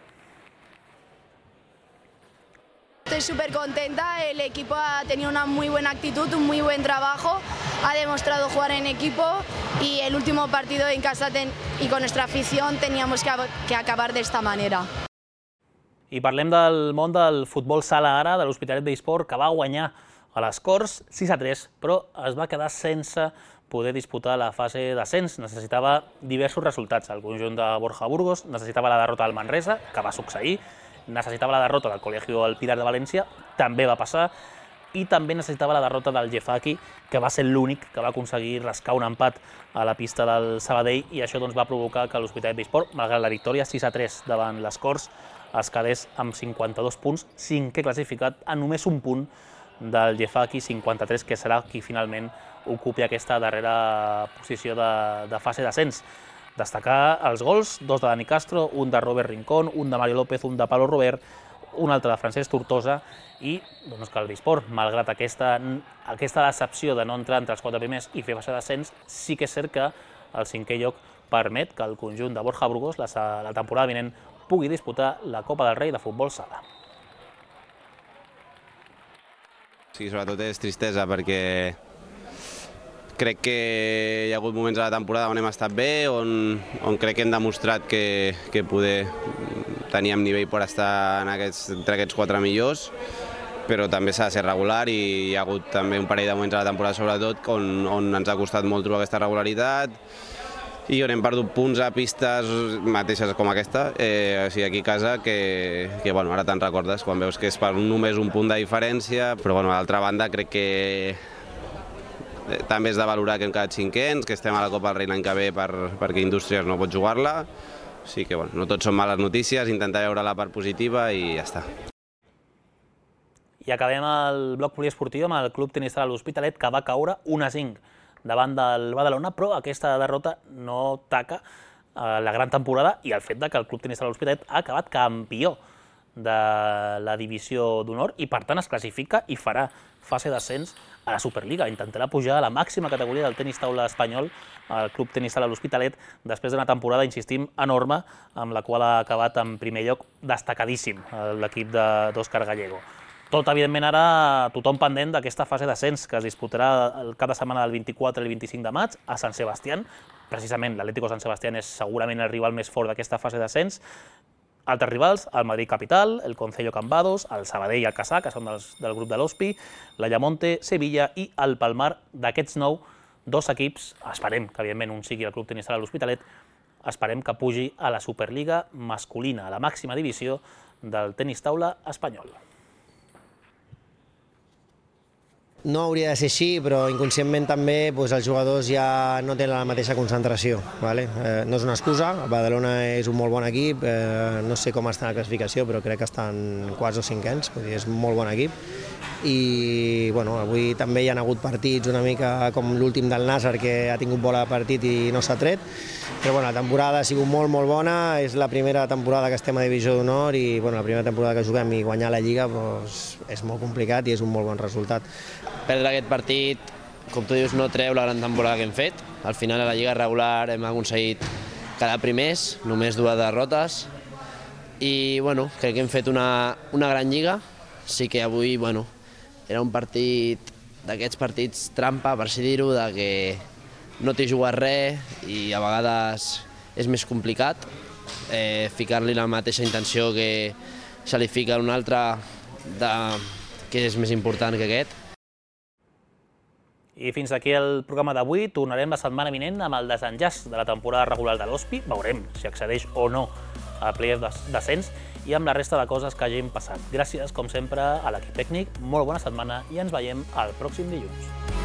Estoy súper contenta, el equipo ha tenido una muy buena actitud, un muy buen trabajo, ha demostrado jugar en equipo y el último partido en casa y con nuestra afición teníamos que acabar de esta manera. I parlem del món del futbol sala ara, de l'Hospitalet d'eSport, que va guanyar a les Corts 6-3, però es va quedar sense poder disputar la fase d'ascens. Necessitava diversos resultats. El conjunt de Borja Burgos necessitava la derrota del Manresa, que va succeir, necessitava la derrota del Colegio El Pilar de València, també va passar, i també necessitava la derrota del Jefaki, que va ser l'únic que va aconseguir rascar un empat a la pista del Sabadell, i això va provocar que l'Hospitalet d'eSport, malgrat la victòria 6-3 davant les Corts, es quedés amb 52 punts, 5è classificat a només un punt del Jefaki 53, que serà qui finalment ocupi aquesta darrera posició de fase d'ascens. Destacar els gols, 2 de Dani Castro, un de Robert Rincón, un de Mario López, un de Pablo Robert, un altre de Francesc Tortosa, i que el Bisport, malgrat aquesta decepció de no entrar entre els 4 primers i fer fase d'ascens, sí que és cert que el 5è lloc permet que el conjunt de Borja Burgos la temporada vinent pugui disputar la Copa del Rei de futbol sala. Sí, sobretot és tristesa perquè crec que hi ha hagut moments a la temporada on hem estat bé, on crec que hem demostrat que poder teníem nivell per estar entre aquests 4 millors, però també s'ha de ser regular i hi ha hagut també un parell de moments a la temporada sobretot on ens ha costat molt trobar aquesta regularitat i on hem perdut punts a pistes mateixes com aquesta, o sigui, aquí a casa, que ara te'n recordes quan veus que és per només un punt de diferència, però d'altra banda crec que també és de valorar que hem quedat 5ens, que estem a la Copa del Rei l'any que ve perquè Indústries no pot jugar-la. O sigui que no tot són males notícies, intentar veure la part positiva i ja està. I acabem el bloc poliesportiu amb el Club Tenis Sala l'Hospitalet, que va caure 1-5 davant del Badalona, però aquesta derrota no taca la gran temporada i el fet que el Club Tenis Sala l'Hospitalet ha acabat campió de la divisió d'honor i per tant es classifica i farà fase d'ascens a la Superliga. Intentarà pujar a la màxima categoria del tenis taula espanyol, el Club Tenis Sala l'Hospitalet, després d'una temporada, insistim, enorme, amb la qual ha acabat en primer lloc destacadíssim l'equip d'Òscar Gallego. Tot, evidentment, ara tothom pendent d'aquesta fase d'ascens que es disputarà el cap de setmana del 24 i el 25 de maig a Sant Sebastián. Precisament, l'Atlético Sant Sebastián és segurament el rival més fort d'aquesta fase d'ascens. Altres rivals, el Madrid Capital, el Concello Cambados, el Sabadell i el Caçà, que són del grup de l'Hospi, l'Ayamonte, Sevilla i el Palmar. D'aquests 9, 2 equips, esperem que evidentment un sigui el Club Tenis Sala l'Hospitalet, esperem que pugi a la Superliga masculina, a la màxima divisió del tenis taula espanyol. No hauria de ser així, però inconscientment també els jugadors ja no tenen la mateixa concentració. No és una excusa, el Badalona és un molt bon equip, no sé com està la classificació, però crec que estan quarts o cinquens, és un molt bon equip. I avui també hi ha hagut partits una mica com l'últim del Nàsser, que ha tingut bola de partit i no s'ha tret, però la temporada ha sigut molt bona, és la primera temporada que estem a Divisió d'Honor i la primera temporada que juguem i guanyar la Lliga és molt complicat i és un molt bon resultat. Perdre aquest partit, com tu dius, no treu la gran temporada que hem fet. Al final a la Lliga regular hem aconseguit quedar primers, només 2 derrotes i crec que hem fet una gran Lliga. Sí que avui era un partit d'aquests partits trampa, per així dir-ho, que no t'hi jugat res i a vegades és més complicat ficar-li la mateixa intenció que se li fica a un altre que és més important que aquest. I fins aquí el programa d'avui. Tornarem la setmana vinent amb el desenllaç de la temporada regular de l'Hospi. Veurem si accedeix o no a playoff d'ascens i amb la resta de coses que hagin passat. Gràcies, com sempre, a l'equip tècnic. Molt bona setmana i ens veiem el pròxim dilluns.